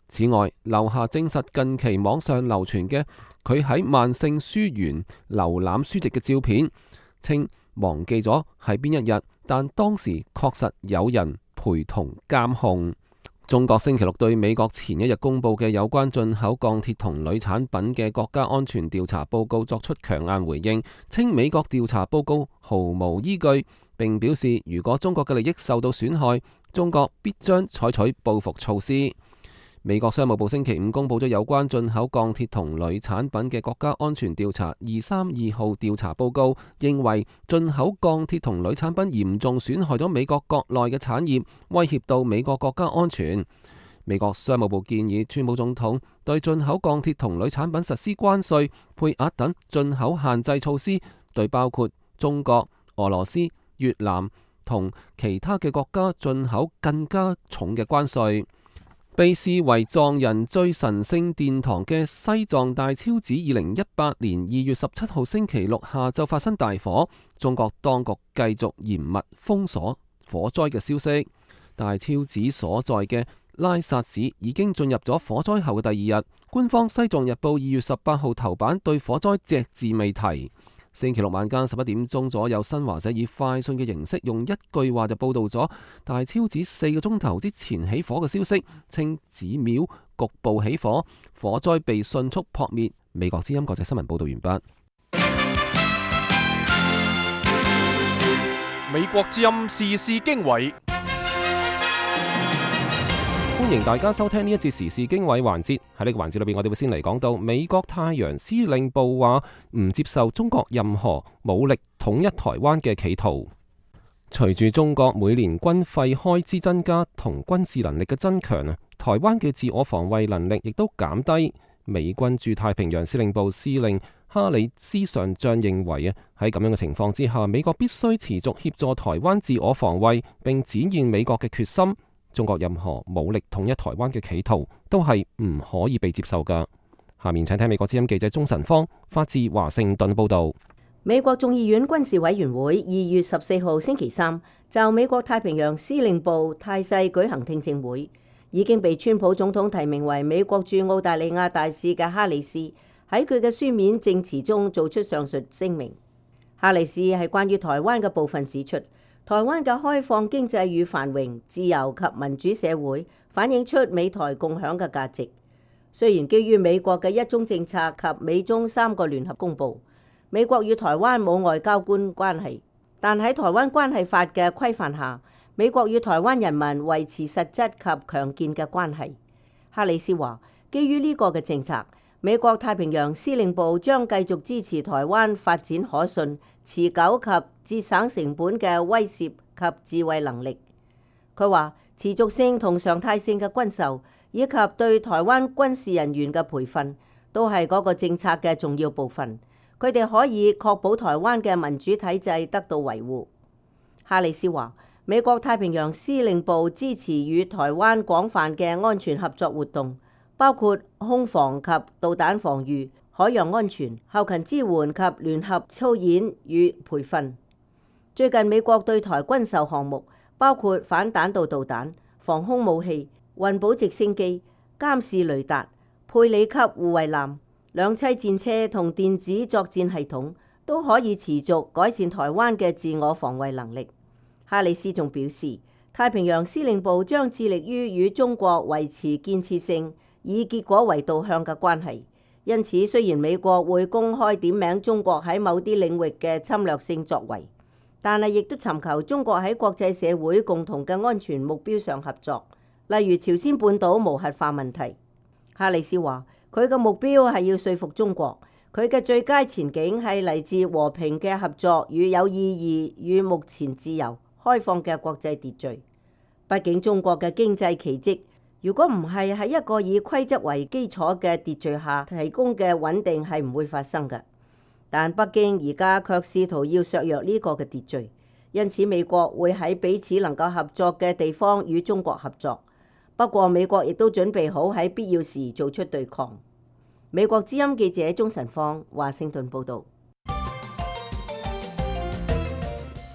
此外，劉霞證實近期網上流傳嘅佢喺萬聖書園瀏覽書籍嘅照片，稱忘記咗係邊一日，但當時確實有人陪同監控。中國星期六對美國前一日公布嘅有關進口鋼鐵同鋁產品嘅國家安全調查報告作出強硬回應，稱美國調查報告毫無依據，並表示如果中國嘅利益受到損害，中國必將採取報復措施。美國商務部星期五公布咗有關進口鋼鐵同鋁產品嘅國家安全調查232號調查報告，認為進口鋼鐵同鋁產品嚴重損害咗美國國內嘅產業，威脅到美國國家安全。美國商務部建議川普總統對進口鋼鐵同鋁產品實施關稅、配額等進口限制措施，對包括中國、俄羅斯、越南同其他嘅國家進口更加重嘅關稅。被視為藏人最神聖殿堂嘅西藏大昭寺2018年2月17號星期六下晝發生大火，中國當局繼續嚴密封鎖火災嘅消息。大昭寺所在嘅拉薩市已經進入咗火災後嘅第二日，官方《西藏日報》2月18號頭版對火災隻字未提。星期六晚間11點鐘左右，新華社以快訊嘅形式用一句話就報導咗大昭寺4個鐘頭之前起火嘅消息，稱寺廟局部起火，火災被迅速撲滅。美國之音國際新聞報導完畢。美國之音時事經緯。歡迎大家收聽呢一節時事經緯環節。喺呢個環節裏邊，我哋會先嚟講到美國太陽司令部話唔接受中國任何武力統一台灣嘅企圖。隨住中國每年軍費開支增加同軍事能力嘅增強啊，台灣嘅自我防衛能力亦都減低。美軍駐太平洋司令部司令哈里斯上將認為啊，喺咁樣嘅情況之下，美國必須持續協助台灣自我防衛，並展現美國嘅決心。中國任何武力統一台灣嘅企圖都係唔可以被接受㗎。下面請聽美國之音記者鍾晨芳發自華盛頓報道。美國眾議院軍事委員會2月14號星期三就美國太平洋司令部態勢舉行聽證會，已經被川普總統提名為美國駐澳大利亞大使嘅哈里斯喺佢嘅書面證詞中做出上述聲明。哈里斯係關於台灣嘅部分指出，台灣嘅開放經濟與繁榮、自由及民主社會反映出美台共享嘅價值。雖然基於美國嘅一中政策及美中3個聯合公報，美國與台灣冇外交官關係，但喺台灣關係法嘅規範下，美國與台灣人民維持實質及強健嘅關係。哈里斯話，基於呢個嘅政策，美國太平洋司令部將繼續支持台灣發展可信、持久及節省成本嘅威懾及自衛能力。佢話持續性同常態性嘅軍售以及對台灣軍事人員嘅培訓都係嗰個政策嘅重要部分。佢哋可以確保台灣嘅民主體制得到維護。哈里斯話，美國太平洋司令部支持與台灣廣泛嘅安全合作活動，包括空防及導彈防禦、海洋安全、後勤支援及聯合操演與培訓。最近美國對台軍售項目包括反彈道導彈、防空武器、運補直升機、監視雷達、佩里級護衛艦、兩棲戰車同電子作戰系統，都可以持續改善台灣嘅自我防衛能力。哈里斯仲表示，太平洋司令部將致力於與中國維持建設性、以結果為導向嘅關係。因此，雖然美國會公開點名中國喺某啲領域嘅侵略性作為，但係亦都尋求中國喺國際社會共同嘅安全目標上合作，例如朝鮮半島無核化問題。哈里斯話，佢嘅目標係要說服中國，佢嘅最佳前景係嚟自和平嘅合作與有意義與目前自由開放嘅國際秩序。畢竟中國嘅經濟奇蹟，如果唔係喺一個以規則為基礎嘅秩序下提供嘅穩定，係唔會發生嘅。但北京而家卻試圖要削弱呢個嘅秩序，因此美國會喺彼此能夠合作嘅地方與中國合作。不過美國亦都準備好喺必要時做出對抗。美國之音記者鍾晨芳華盛頓報導。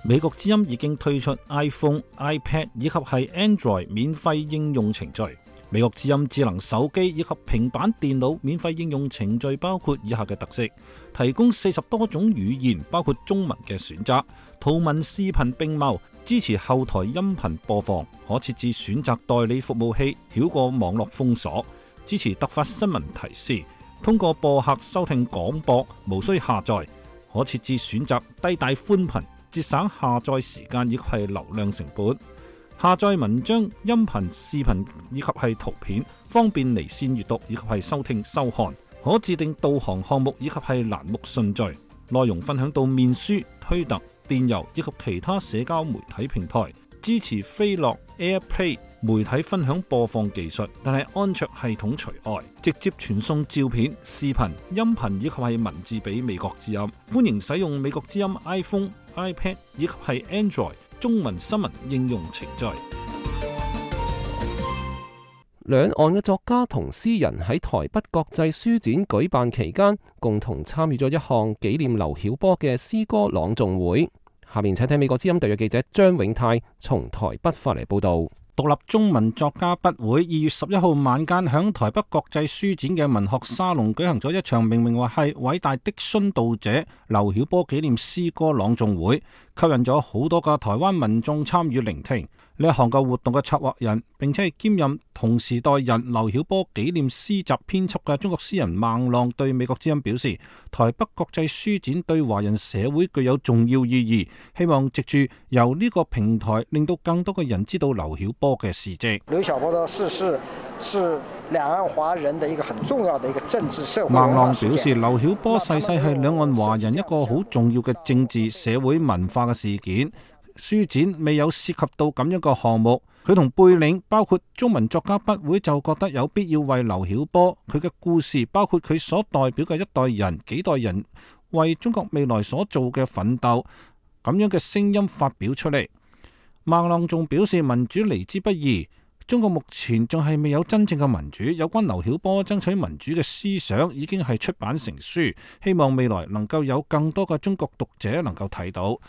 美國之音已經推出 iPhone、iPad 以及係 Android 免費應用程序。美國之音智能手機以及平板電腦免費應用程序包括以下嘅特色：提供40多種語言，包括中文嘅選擇，圖文視頻並茂，支持後台音頻播放，可設置選擇代理服務器，繞過網絡封鎖，支持突發新聞提示，通過播客收聽廣播，無需下載，可設置選擇低帶寬頻，節省下載時間以及係流量成本。下載文章、音頻、視頻以及係圖片，方便離線閱讀以及係收聽收看。可自定導航項目以及係欄目順序。內容分享到面書、推特、電郵以及其他社交媒體平台。支持飛樂、AirPlay 媒體分享播放技術，但係安卓系統除外。直接傳送照片、視頻、音頻以及係文字俾美國之音。歡迎使用美國之音 iPhone、iPad 以及係 Android 中文新聞應用程序。兩岸嘅作家同詩人喺台北國際書展舉辦期間，共同參與咗一項紀念劉曉波嘅詩歌朗誦會。下面請聽美國之音特約記者張永泰從台北發嚟報道。獨立中文作家筆會2月11號晚間響台北國際書展嘅文學沙龍舉行咗一場命名為係偉大的殉道者劉曉波紀念詩歌朗誦會，吸引咗好多個台灣民眾參與聆聽。呢一項嘅活動嘅策劃人，並且係兼任同時代人劉曉波紀念詩集編輯嘅中國詩人孟浪對美國之音表示，台北國際書展對華人社會具有重要意義，希望藉住由呢個平台，令到更多嘅人知道劉曉波嘅事蹟。劉曉波的逝世是兩岸華人的一個很重要的一個政治社會。孟浪表示，劉曉波逝世係兩岸華人一個好重要嘅政治社會文化嘅事件。書展未有涉及到咁樣嘅項目，佢同背領包括中文作家筆會就覺得有必要為劉曉波佢嘅故事，包括佢所代表嘅一代人、幾代人為中國未來所做嘅奮鬥咁樣嘅聲音發表出嚟。孟浪仲表示，民主嚟之不易，中國目前仲係未有真正嘅民主，有關劉曉波爭取民主嘅思想已經係出版成書，希望未來能夠有更多嘅中國讀者能夠睇到。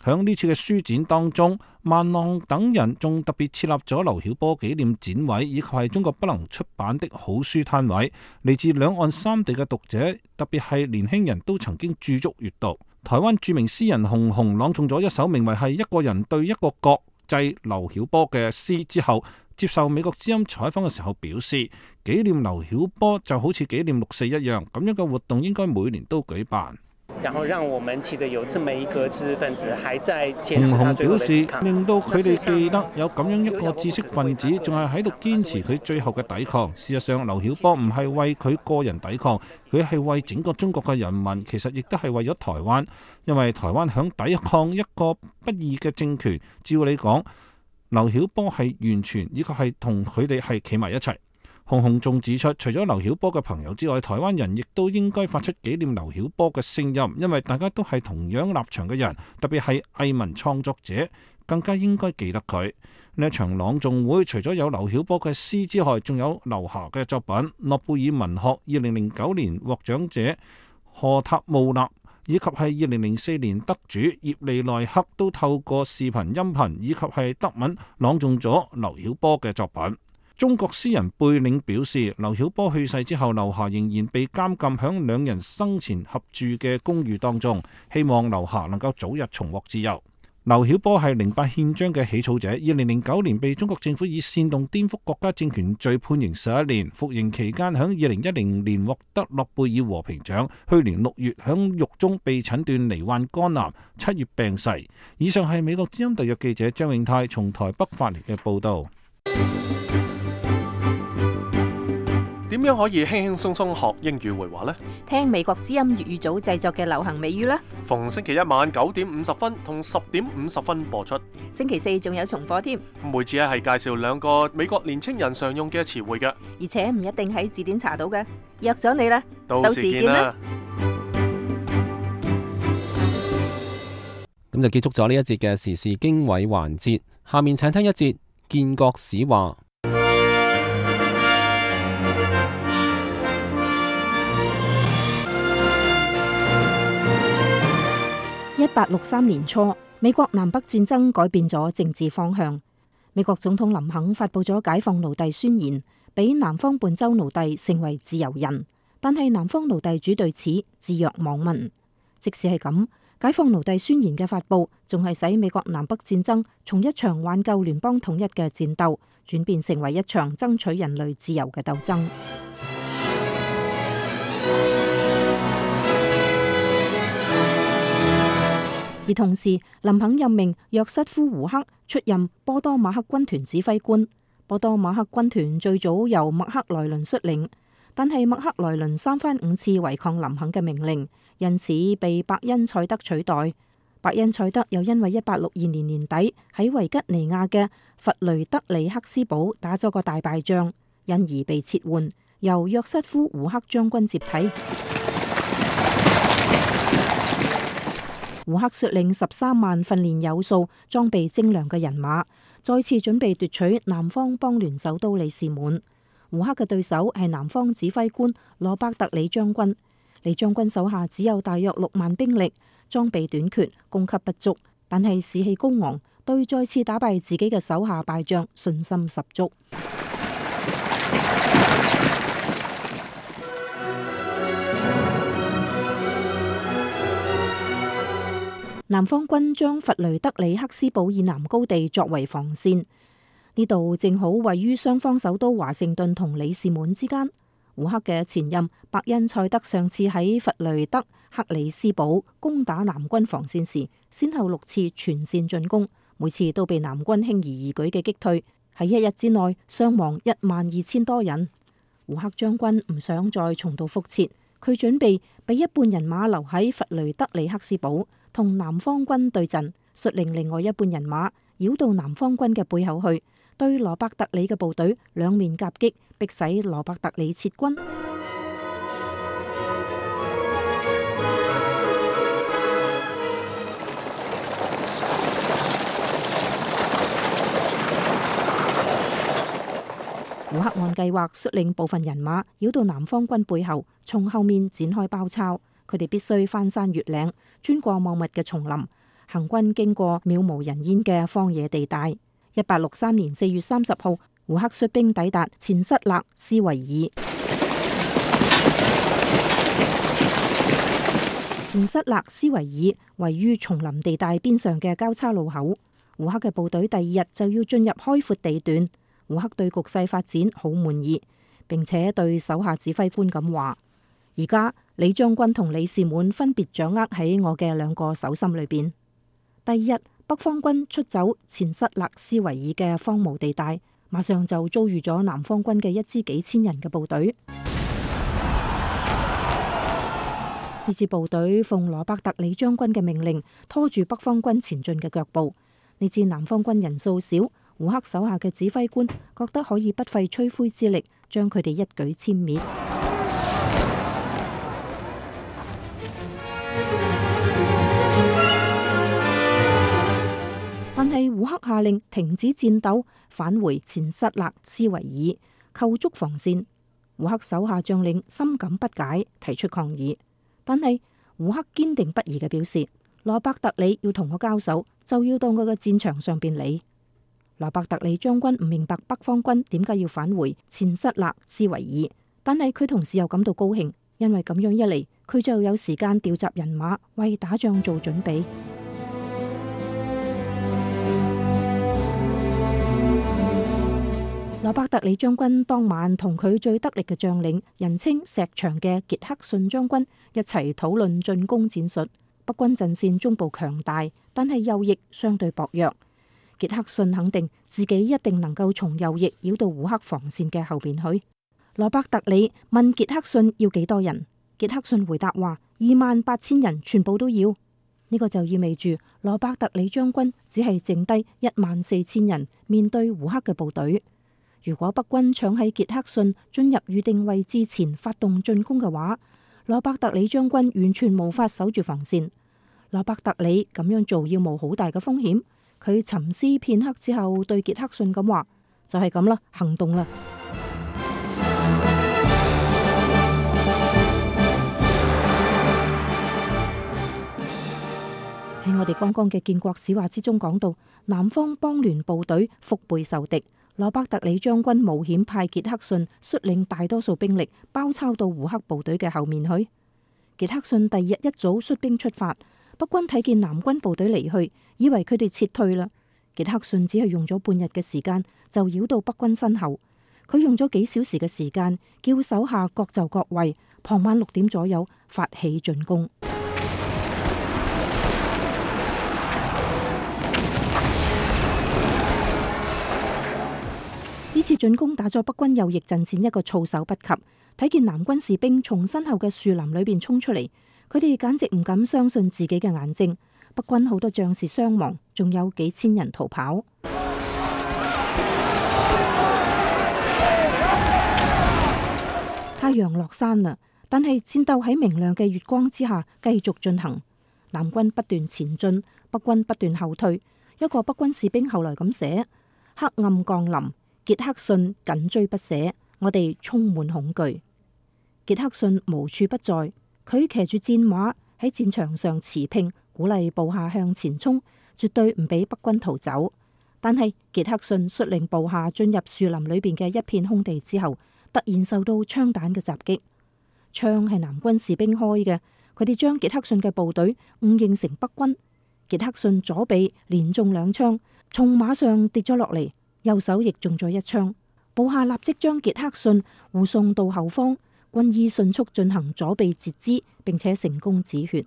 響呢次嘅書展當中，孟浪等人仲特別設立咗劉曉波紀念展位，以及係中國不能出版的好書攤位。嚟自兩岸三地嘅讀者，特別係年輕人都曾經駐足閱讀。台灣著名詩人熊雄朗誦咗一首名為係一個人對一個國際劉曉波嘅詩之後，接受美國之音採訪嘅時候表示，紀念劉曉波就好似紀念6·4一樣，咁樣嘅活動應該每年都舉辦。然後讓我們記得有這麼一個知識分子還在堅持熊雄他最後的表示抵抗，令到佢哋記得有咁樣一個知識分子仲係喺度堅持佢最後嘅抵抗。事實上，劉曉波唔係為佢個人抵抗，佢係為整個中國嘅人民，其實亦都係為咗台灣，因為台灣響抵抗一個不義嘅政權。照理講，劉曉波係完全以及係同佢哋係企埋一齊。熊雄仲指出，除咗劉曉波嘅朋友之外，台灣人亦都應該發出紀念劉曉波嘅聲音，因為大家都係同樣立場嘅人，特別係藝文創作者，更加應該記得佢。呢一場朗誦會除咗有劉曉波嘅詩之外，仲有劉霞嘅作品。諾貝爾文學2009年獲獎者荷塔慕納以及係2004年得主葉利內克都透過視頻、音頻以及係德文朗誦咗劉曉波嘅作品。中國詩人貝領表示，劉曉波去世之後，劉霞仍然被監禁響兩人生前合住嘅公寓當中，希望劉霞能夠早日重獲自由。劉曉波係08憲章嘅起草者，2009年被中國政府以煽動顛覆國家政權罪判刑11年，服刑期間響2010年獲得諾貝爾和平獎，去年6月響獄中被診斷罹患肝癌，7月病逝。以上係美國之音特約記者張永泰從台北發嚟嘅報道。點樣可以輕輕鬆鬆學英語會話呢？聽美國之音粵語組製作嘅流行美語啦。逢星期一晚9點50分同10點50分播出。星期四仲有重播添。每次係介紹2個美國年青人常用嘅詞彙嘅，而且唔一定喺字典查到嘅。約咗你啦，到時見啦。咁就結束咗呢一節嘅時事經緯環節。下面請聽一節建國史話。1863年初，美國南北戰爭改變咗政治方向。美國總統林肯發佈咗解放奴隸宣言，俾南方半州奴隸成為自由人。但係南方奴隸主對此置若罔聞。即使係咁，解放奴隸宣言嘅發佈，仲係使美國南北戰爭從一場挽救聯邦統一嘅戰鬥，轉變成為一場爭取人類自由嘅鬥爭。而同時，林肯任命約瑟夫·胡克出任波多馬克軍團指揮官。波多馬克軍團最早由麥克萊倫率領，但係麥克萊倫3番5次違抗林肯嘅命令，因此被伯恩賽德取代。伯恩賽德又因為1862年年底喺維吉尼亞嘅弗雷德里克斯堡打咗個大敗仗，因而被撤換，由約瑟夫·胡克將軍接替。胡克率領13萬訓練有素、裝備精良嘅人馬，再次準備奪取南方邦聯首都里士滿。胡克嘅對手係南方指揮官羅伯特里將軍。李將軍手下只有大約6萬兵力，裝備短缺，供給不足，但係士氣高昂，對再次打敗自己嘅手下敗將信心十足。南方軍將弗雷德里克斯堡以南高地作為防線，呢度正好位於雙方首都華盛頓同里士滿之間。胡克嘅前任伯恩塞德上次喺弗雷德克里斯堡攻打南軍防線時，先後6次全線進攻，每次都被南軍輕而易舉嘅擊退，喺1日之內傷亡12000多人。胡克將軍唔想再重蹈覆轍，佢準備俾一半人馬留喺弗雷德里克斯堡同南方軍對陣，率領另外一半人馬繞到南方軍嘅背後去，對羅伯特里嘅部隊兩面夾擊，迫使羅伯特里撤軍。胡克按計劃率領部分人馬繞到南方軍背後，從後面展開包抄。佢哋必須翻山越嶺，穿過茂密嘅叢林，行軍經過渺無人煙嘅荒野地帶。1863年4月30號，胡克率兵抵達錢塞勒斯維爾。錢塞勒斯維爾位於叢林地帶邊上嘅交叉路口。胡克嘅部隊第2日就要進入開闊地段。胡克對局勢發展好滿意，並且對手下指揮官咁話：而家李將軍同里士滿分別掌握喺我嘅2個手心裏邊。第2日，北方軍出走錢塞勒斯維爾嘅荒蕪地帶，馬上就遭遇咗南方軍嘅一支幾千人嘅部隊。呢支部隊奉羅伯特里將軍嘅命令，拖住北方軍前進嘅腳步。呢支南方軍人數少，胡克手下嘅指揮官覺得可以不費吹灰之力將佢哋一舉殲滅。但係胡克下令停止戰鬥，返回錢塞勒斯維爾，構築防線。胡克手下將領深感不解，提出抗議。但係胡克堅定不移嘅表示：羅伯特里要同我交手，就要到我嘅戰場上邊嚟。羅伯特里將軍唔明白北方軍點解要返回錢塞勒斯維爾，但係佢同時又感到高興，因為咁樣一嚟，佢就有時間調集人馬為打仗做準備。羅伯特里將軍當晚同佢最得力嘅將領，人稱石牆嘅傑克遜將軍一齊討論進攻戰術。北軍陣線中部強大，但係右翼相對薄弱。傑克遜肯定自己一定能夠從右翼繞到胡克防線嘅後邊去。羅伯特里問傑克遜要幾多人，傑克遜回答話28000人全部都要。呢個就意味住羅伯特里將軍只係剩低14000人面對胡克嘅部隊。如果北軍搶喺傑克遜進入預定位置前發動進攻嘅話，羅伯特里將軍完全無法守住防線。羅伯特里咁樣做要冒好大嘅風險。佢沉思片刻之後，對傑克遜咁話：就係咁啦，行動啦！喺我哋剛剛嘅建國史話之中講到，南方邦聯部隊腹背受敵，羅伯特里將軍冒險派傑克遜率領大多數兵力包抄到胡克部隊嘅後面去。傑克遜第2日一早率兵出發。北軍睇見南軍部隊離去，以為佢哋撤退啦。傑克遜只係用咗半日嘅時間就繞到北軍身後。佢用咗幾小時嘅時間，叫手下各就各位，傍晚6點左右發起進攻。呢次進攻打咗北軍右翼陣線一個措手不及。睇見南軍士兵從身後嘅樹林裏邊衝出嚟，佢哋簡直唔敢相信自己嘅眼睛。北軍好多將士傷亡，仲有幾千人逃跑。太陽落山啦，但係戰鬥喺明亮嘅月光之下繼續進行。南軍不斷前進，北軍不斷後退。一個北軍士兵後來咁寫：黑暗降臨，傑克遜緊追不捨，我哋充滿恐懼。傑克遜無處不在，佢騎住戰馬喺戰場上馳騁，鼓勵部下向前衝，絕對唔俾北軍逃走。但係傑克遜率領部下進入樹林裏邊嘅一片空地之後，突然受到槍彈嘅襲擊。槍係南軍士兵開嘅，佢哋將傑克遜嘅部隊誤認成北軍。傑克遜左臂連中2槍，從馬上跌咗落嚟，右手亦中咗1槍。部下立即將傑克遜護送到後方，軍醫迅速進行左臂截肢，並且成功止血。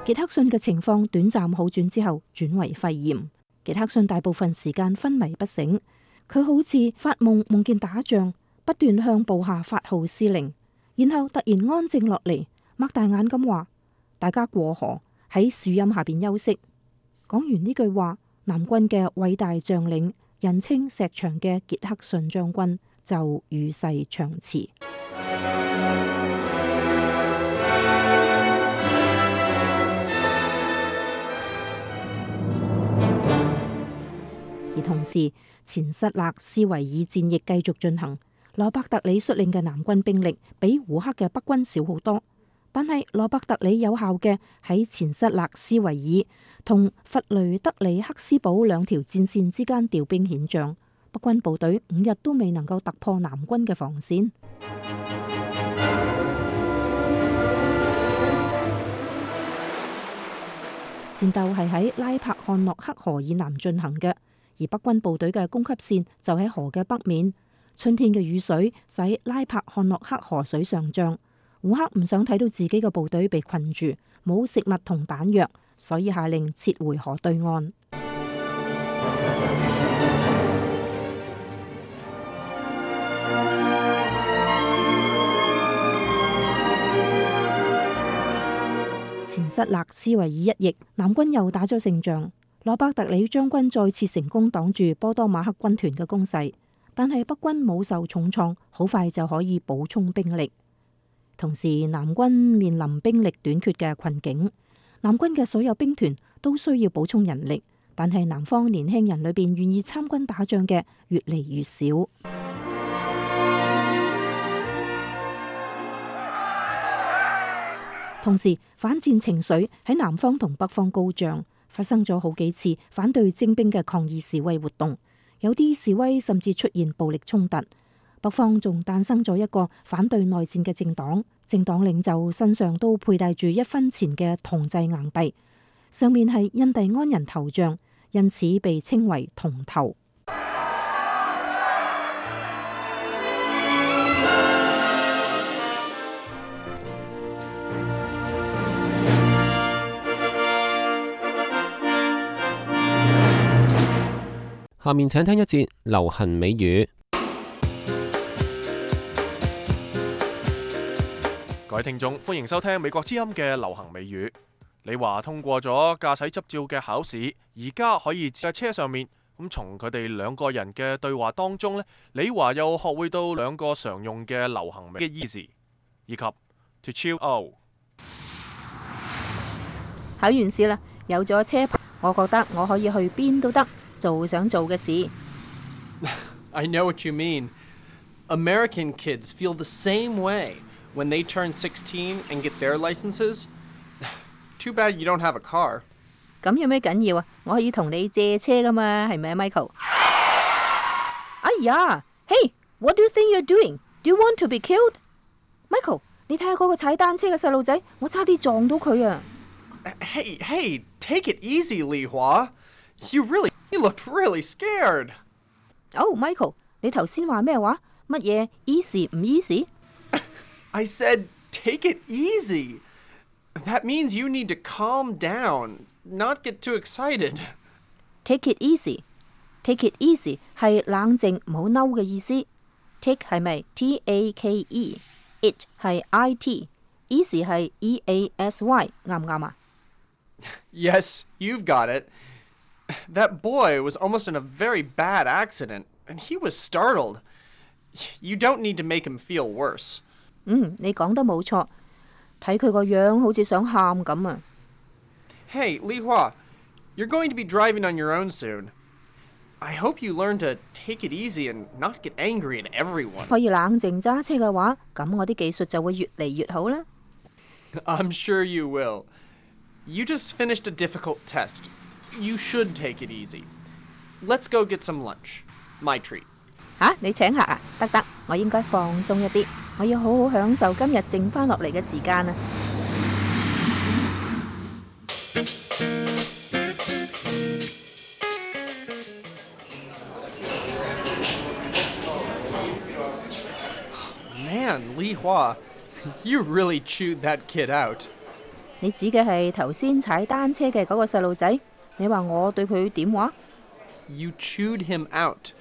傑克遜嘅情況短暫好轉之後，轉為肺炎。傑克遜大部分時間昏迷不醒，佢好似發夢，夢見打仗，不斷向部下發號施令，然後突然安靜落嚟，擘大眼咁話：大家過河，喺樹蔭下邊休息。講完呢句話，南軍嘅偉大將領，人稱石牆嘅傑克遜將軍就與世長辭。而同時，前塞勒斯維爾戰役繼續進行。羅伯特里率領嘅南軍兵力比胡克嘅北軍少好多，但係羅伯特里有效嘅喺前塞勒斯維爾同弗雷德里克斯堡兩條戰線之間調兵遣將，北軍部隊5日都未能夠突破南軍嘅防線。戰鬥係喺拉柏漢諾克河以南進行嘅，而北軍部隊嘅供給線就喺河嘅北面。春天嘅雨水使拉柏漢諾克河水上漲，胡克唔想睇到自己嘅部隊被困住，冇食物同彈藥，所以下令撤回河對岸。前塞勒斯維爾一役，南軍又打咗勝仗，羅伯特里將軍再次成功擋住波多馬克軍團嘅攻勢。但係北軍冇受重創，好快就可以補充兵力。同時，南軍面臨兵力短缺嘅困境。南軍嘅所有兵團都需要補充人力，但係南方年輕人裏邊願意參軍打仗嘅越嚟越少。同時，反戰情緒喺南方同北方高漲，發生咗好幾次反對徵兵嘅抗議示威活動。有啲示威甚至出現暴力衝突，北方仲誕生咗一個反對內戰嘅政黨，政黨領袖身上都佩戴住1分錢嘅銅製硬幣，上面係印第安人頭像，因此被稱為銅頭。下面請聽一節流行美語。各位聽眾，歡迎收聽美國之音嘅流行美語。李華通過咗駕駛執照嘅考試，而家可以喺車上面。咁從佢哋2個人嘅對話當中呢，李華又學會到2個常用嘅流行美嘅 easy 以及 to chill out。考完試啦，有咗車牌，我覺得我可以去邊都得。做想做嘅事。I know what you mean. American kids feel the same way when they turn 16 and get their licenses. Too bad you don't have a car. 咁有咩緊要啊？我可以同你借車噶嘛，係咪啊 ，Michael？ 哎呀 ，Hey, what do you think you're doing? Do you want to be killed? Michael， 你睇下嗰個踩單車嘅細路仔，我差啲撞到佢啊！ Hey, take it easy, Li Hua.You looked really scared. Oh, Michael, 你頭先話咩話？乜嘢 easy 唔 easy? I said take it easy. That means you need to calm down, not get too excited. Take it easy. Take it easy 係冷靜唔好嬲嘅意思。Take 係咪 T-A-K-E？ It 係 I-T。Easy 係 E-A-S-Y， 啱唔啱啊？ Yes, you've got it.That boy was almost in a very bad accident, and he was startled. You don't need to make him feel worse. 你講得冇錯，睇佢個樣好似想喊咁啊。Hey, Li Hua, you're going to be driving on your own soon. I hope you learn to take it easy and not get angry at everyone. 可以冷靜揸車嘅話，咁我啲技術就會越嚟越好啦。I'm sure you will. You just finished a difficult test. You should take it easy. Let's go get some lunch. My treat. 你請客啊？得，我應該放鬆一啲，我要好好享受今日剩翻落嚟嘅時間啊！ Man, Li Hua, you really chewed that kid out. 你指嘅係頭先踩單車嘅嗰個細路仔？你話我對佢點話？ You chewed him out.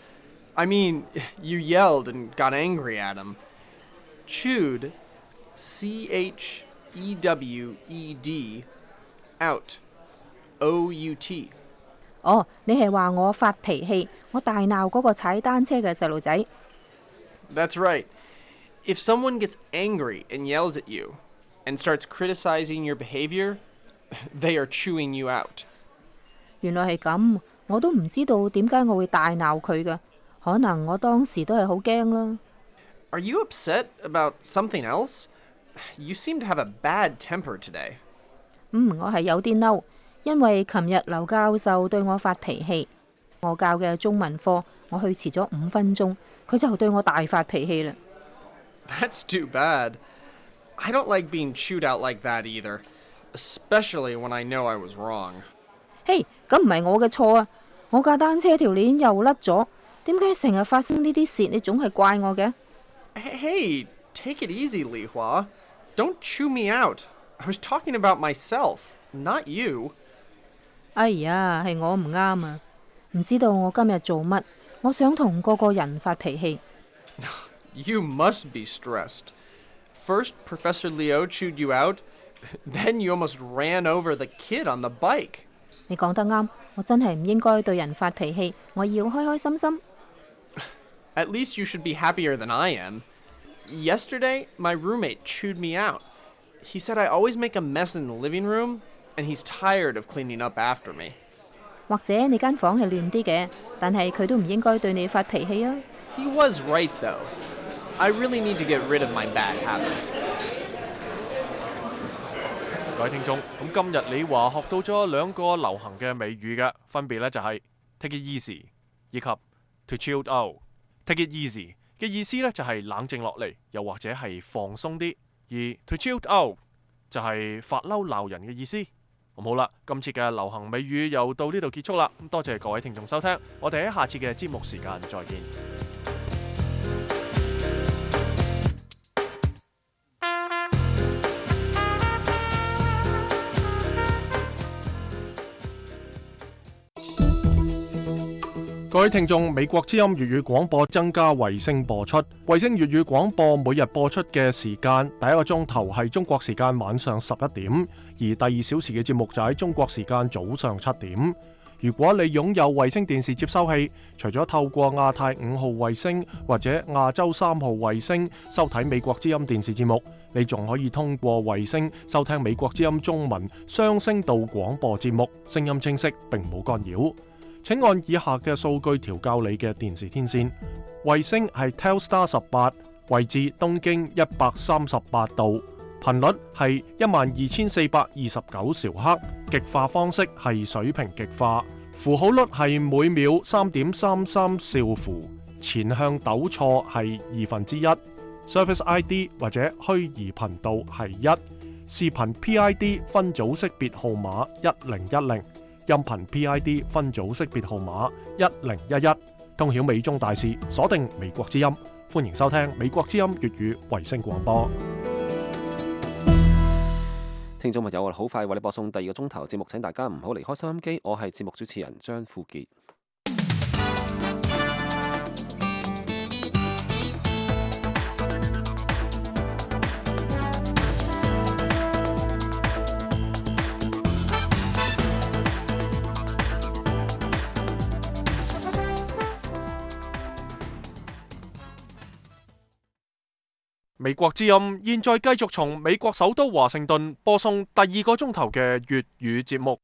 I mean, you yelled and got angry at him. Chewed, C-H-E-W-E-D, out, O-U-T. 你係話我發脾氣，我大鬧嗰個踩單車嘅細路仔。 That's right. If someone gets angry and yells at you and starts criticizing your behavior, they are chewing you out. 原來係咁，我都唔知道點解我會大鬧佢嘅，可能我當時都係好驚啦。 Are you upset about something else? You seem to have a bad temper today. 我係有啲嬲，因為琴日劉教授對我發脾氣，我教嘅中文課我去遲咗5分鐘，佢就對我大發脾氣啦。 That's too bad. I don't like being chewed out like that either, especially when I know I was wrong. 嘿，咁唔係我嘅錯啊！我架單車條鏈又甩咗，點解成日發生呢啲事？你總係怪我嘅。 Hey, take it easy, Li Hua. Don't chew me out. I was talking about myself, not you. 哎呀，係我唔啱啊！唔知道我今日做乜，我想同個個人發脾氣。 You must be stressed. First, Professor Liu chewed you out, then you almost ran over the kid on the bike. 你講得啱，我真係唔應該對人發脾氣，我要開開心心。 At least you should be happier than I am. Yesterday, my roommate chewed me out. He said I always make a mess in the living room, and he's tired of cleaning up after me. 或者你間房係亂啲嘅，但係佢都唔應該對你發脾氣啊。 He was right, though. I really need to get rid of my bad habits. 各位聽眾，咁今日你話學到咗2個流行嘅美語嘅，分別呢就係 take it easy 以及 to chill out。take it easy 嘅意思呢就係冷靜落嚟，又或者係放鬆啲；而 to chill out 就係發嬲鬧人嘅意思。咁好啦，今次嘅流行美語又到呢度結束啦。咁多謝各位聽眾收聽，我哋喺下次嘅節目時間再見。各位聽眾，美國之音粵語廣播增加衛星播出。衛星粵語廣播每日播出嘅時間，第一個鐘頭係中國時間晚上11點，而第2小時嘅節目就喺中國時間早上7點。如果你擁有衛星電視接收器，除咗透過亞太5號衛星或者亞洲3號衛星收睇美國之音電視節目，你仲可以通過衛星收聽美國之音中文雙聲道廣播節目，聲音清晰並冇干擾。請按以下嘅數據調校你嘅電視天線。衛星係 Telstar 18，位置東經138度，頻率係12429兆赫，極化方式係水平極化，符號率係每秒3.33兆符，前向抖錯係1/2，Service ID 或者虛擬頻道係1，視頻 PID 分組識別號碼1010。音頻 PID 分組識別號碼1011，通曉美中大事，鎖定美國之音，歡迎收聽美國之音粵語衛星廣播。聽眾朋友，我哋好快為你播送第2個鐘頭節目，請大家唔好離開收音機，我係節目主持人張富傑。美國之音現在繼續從美國首都華盛頓播送第2個鐘頭嘅粵語節目。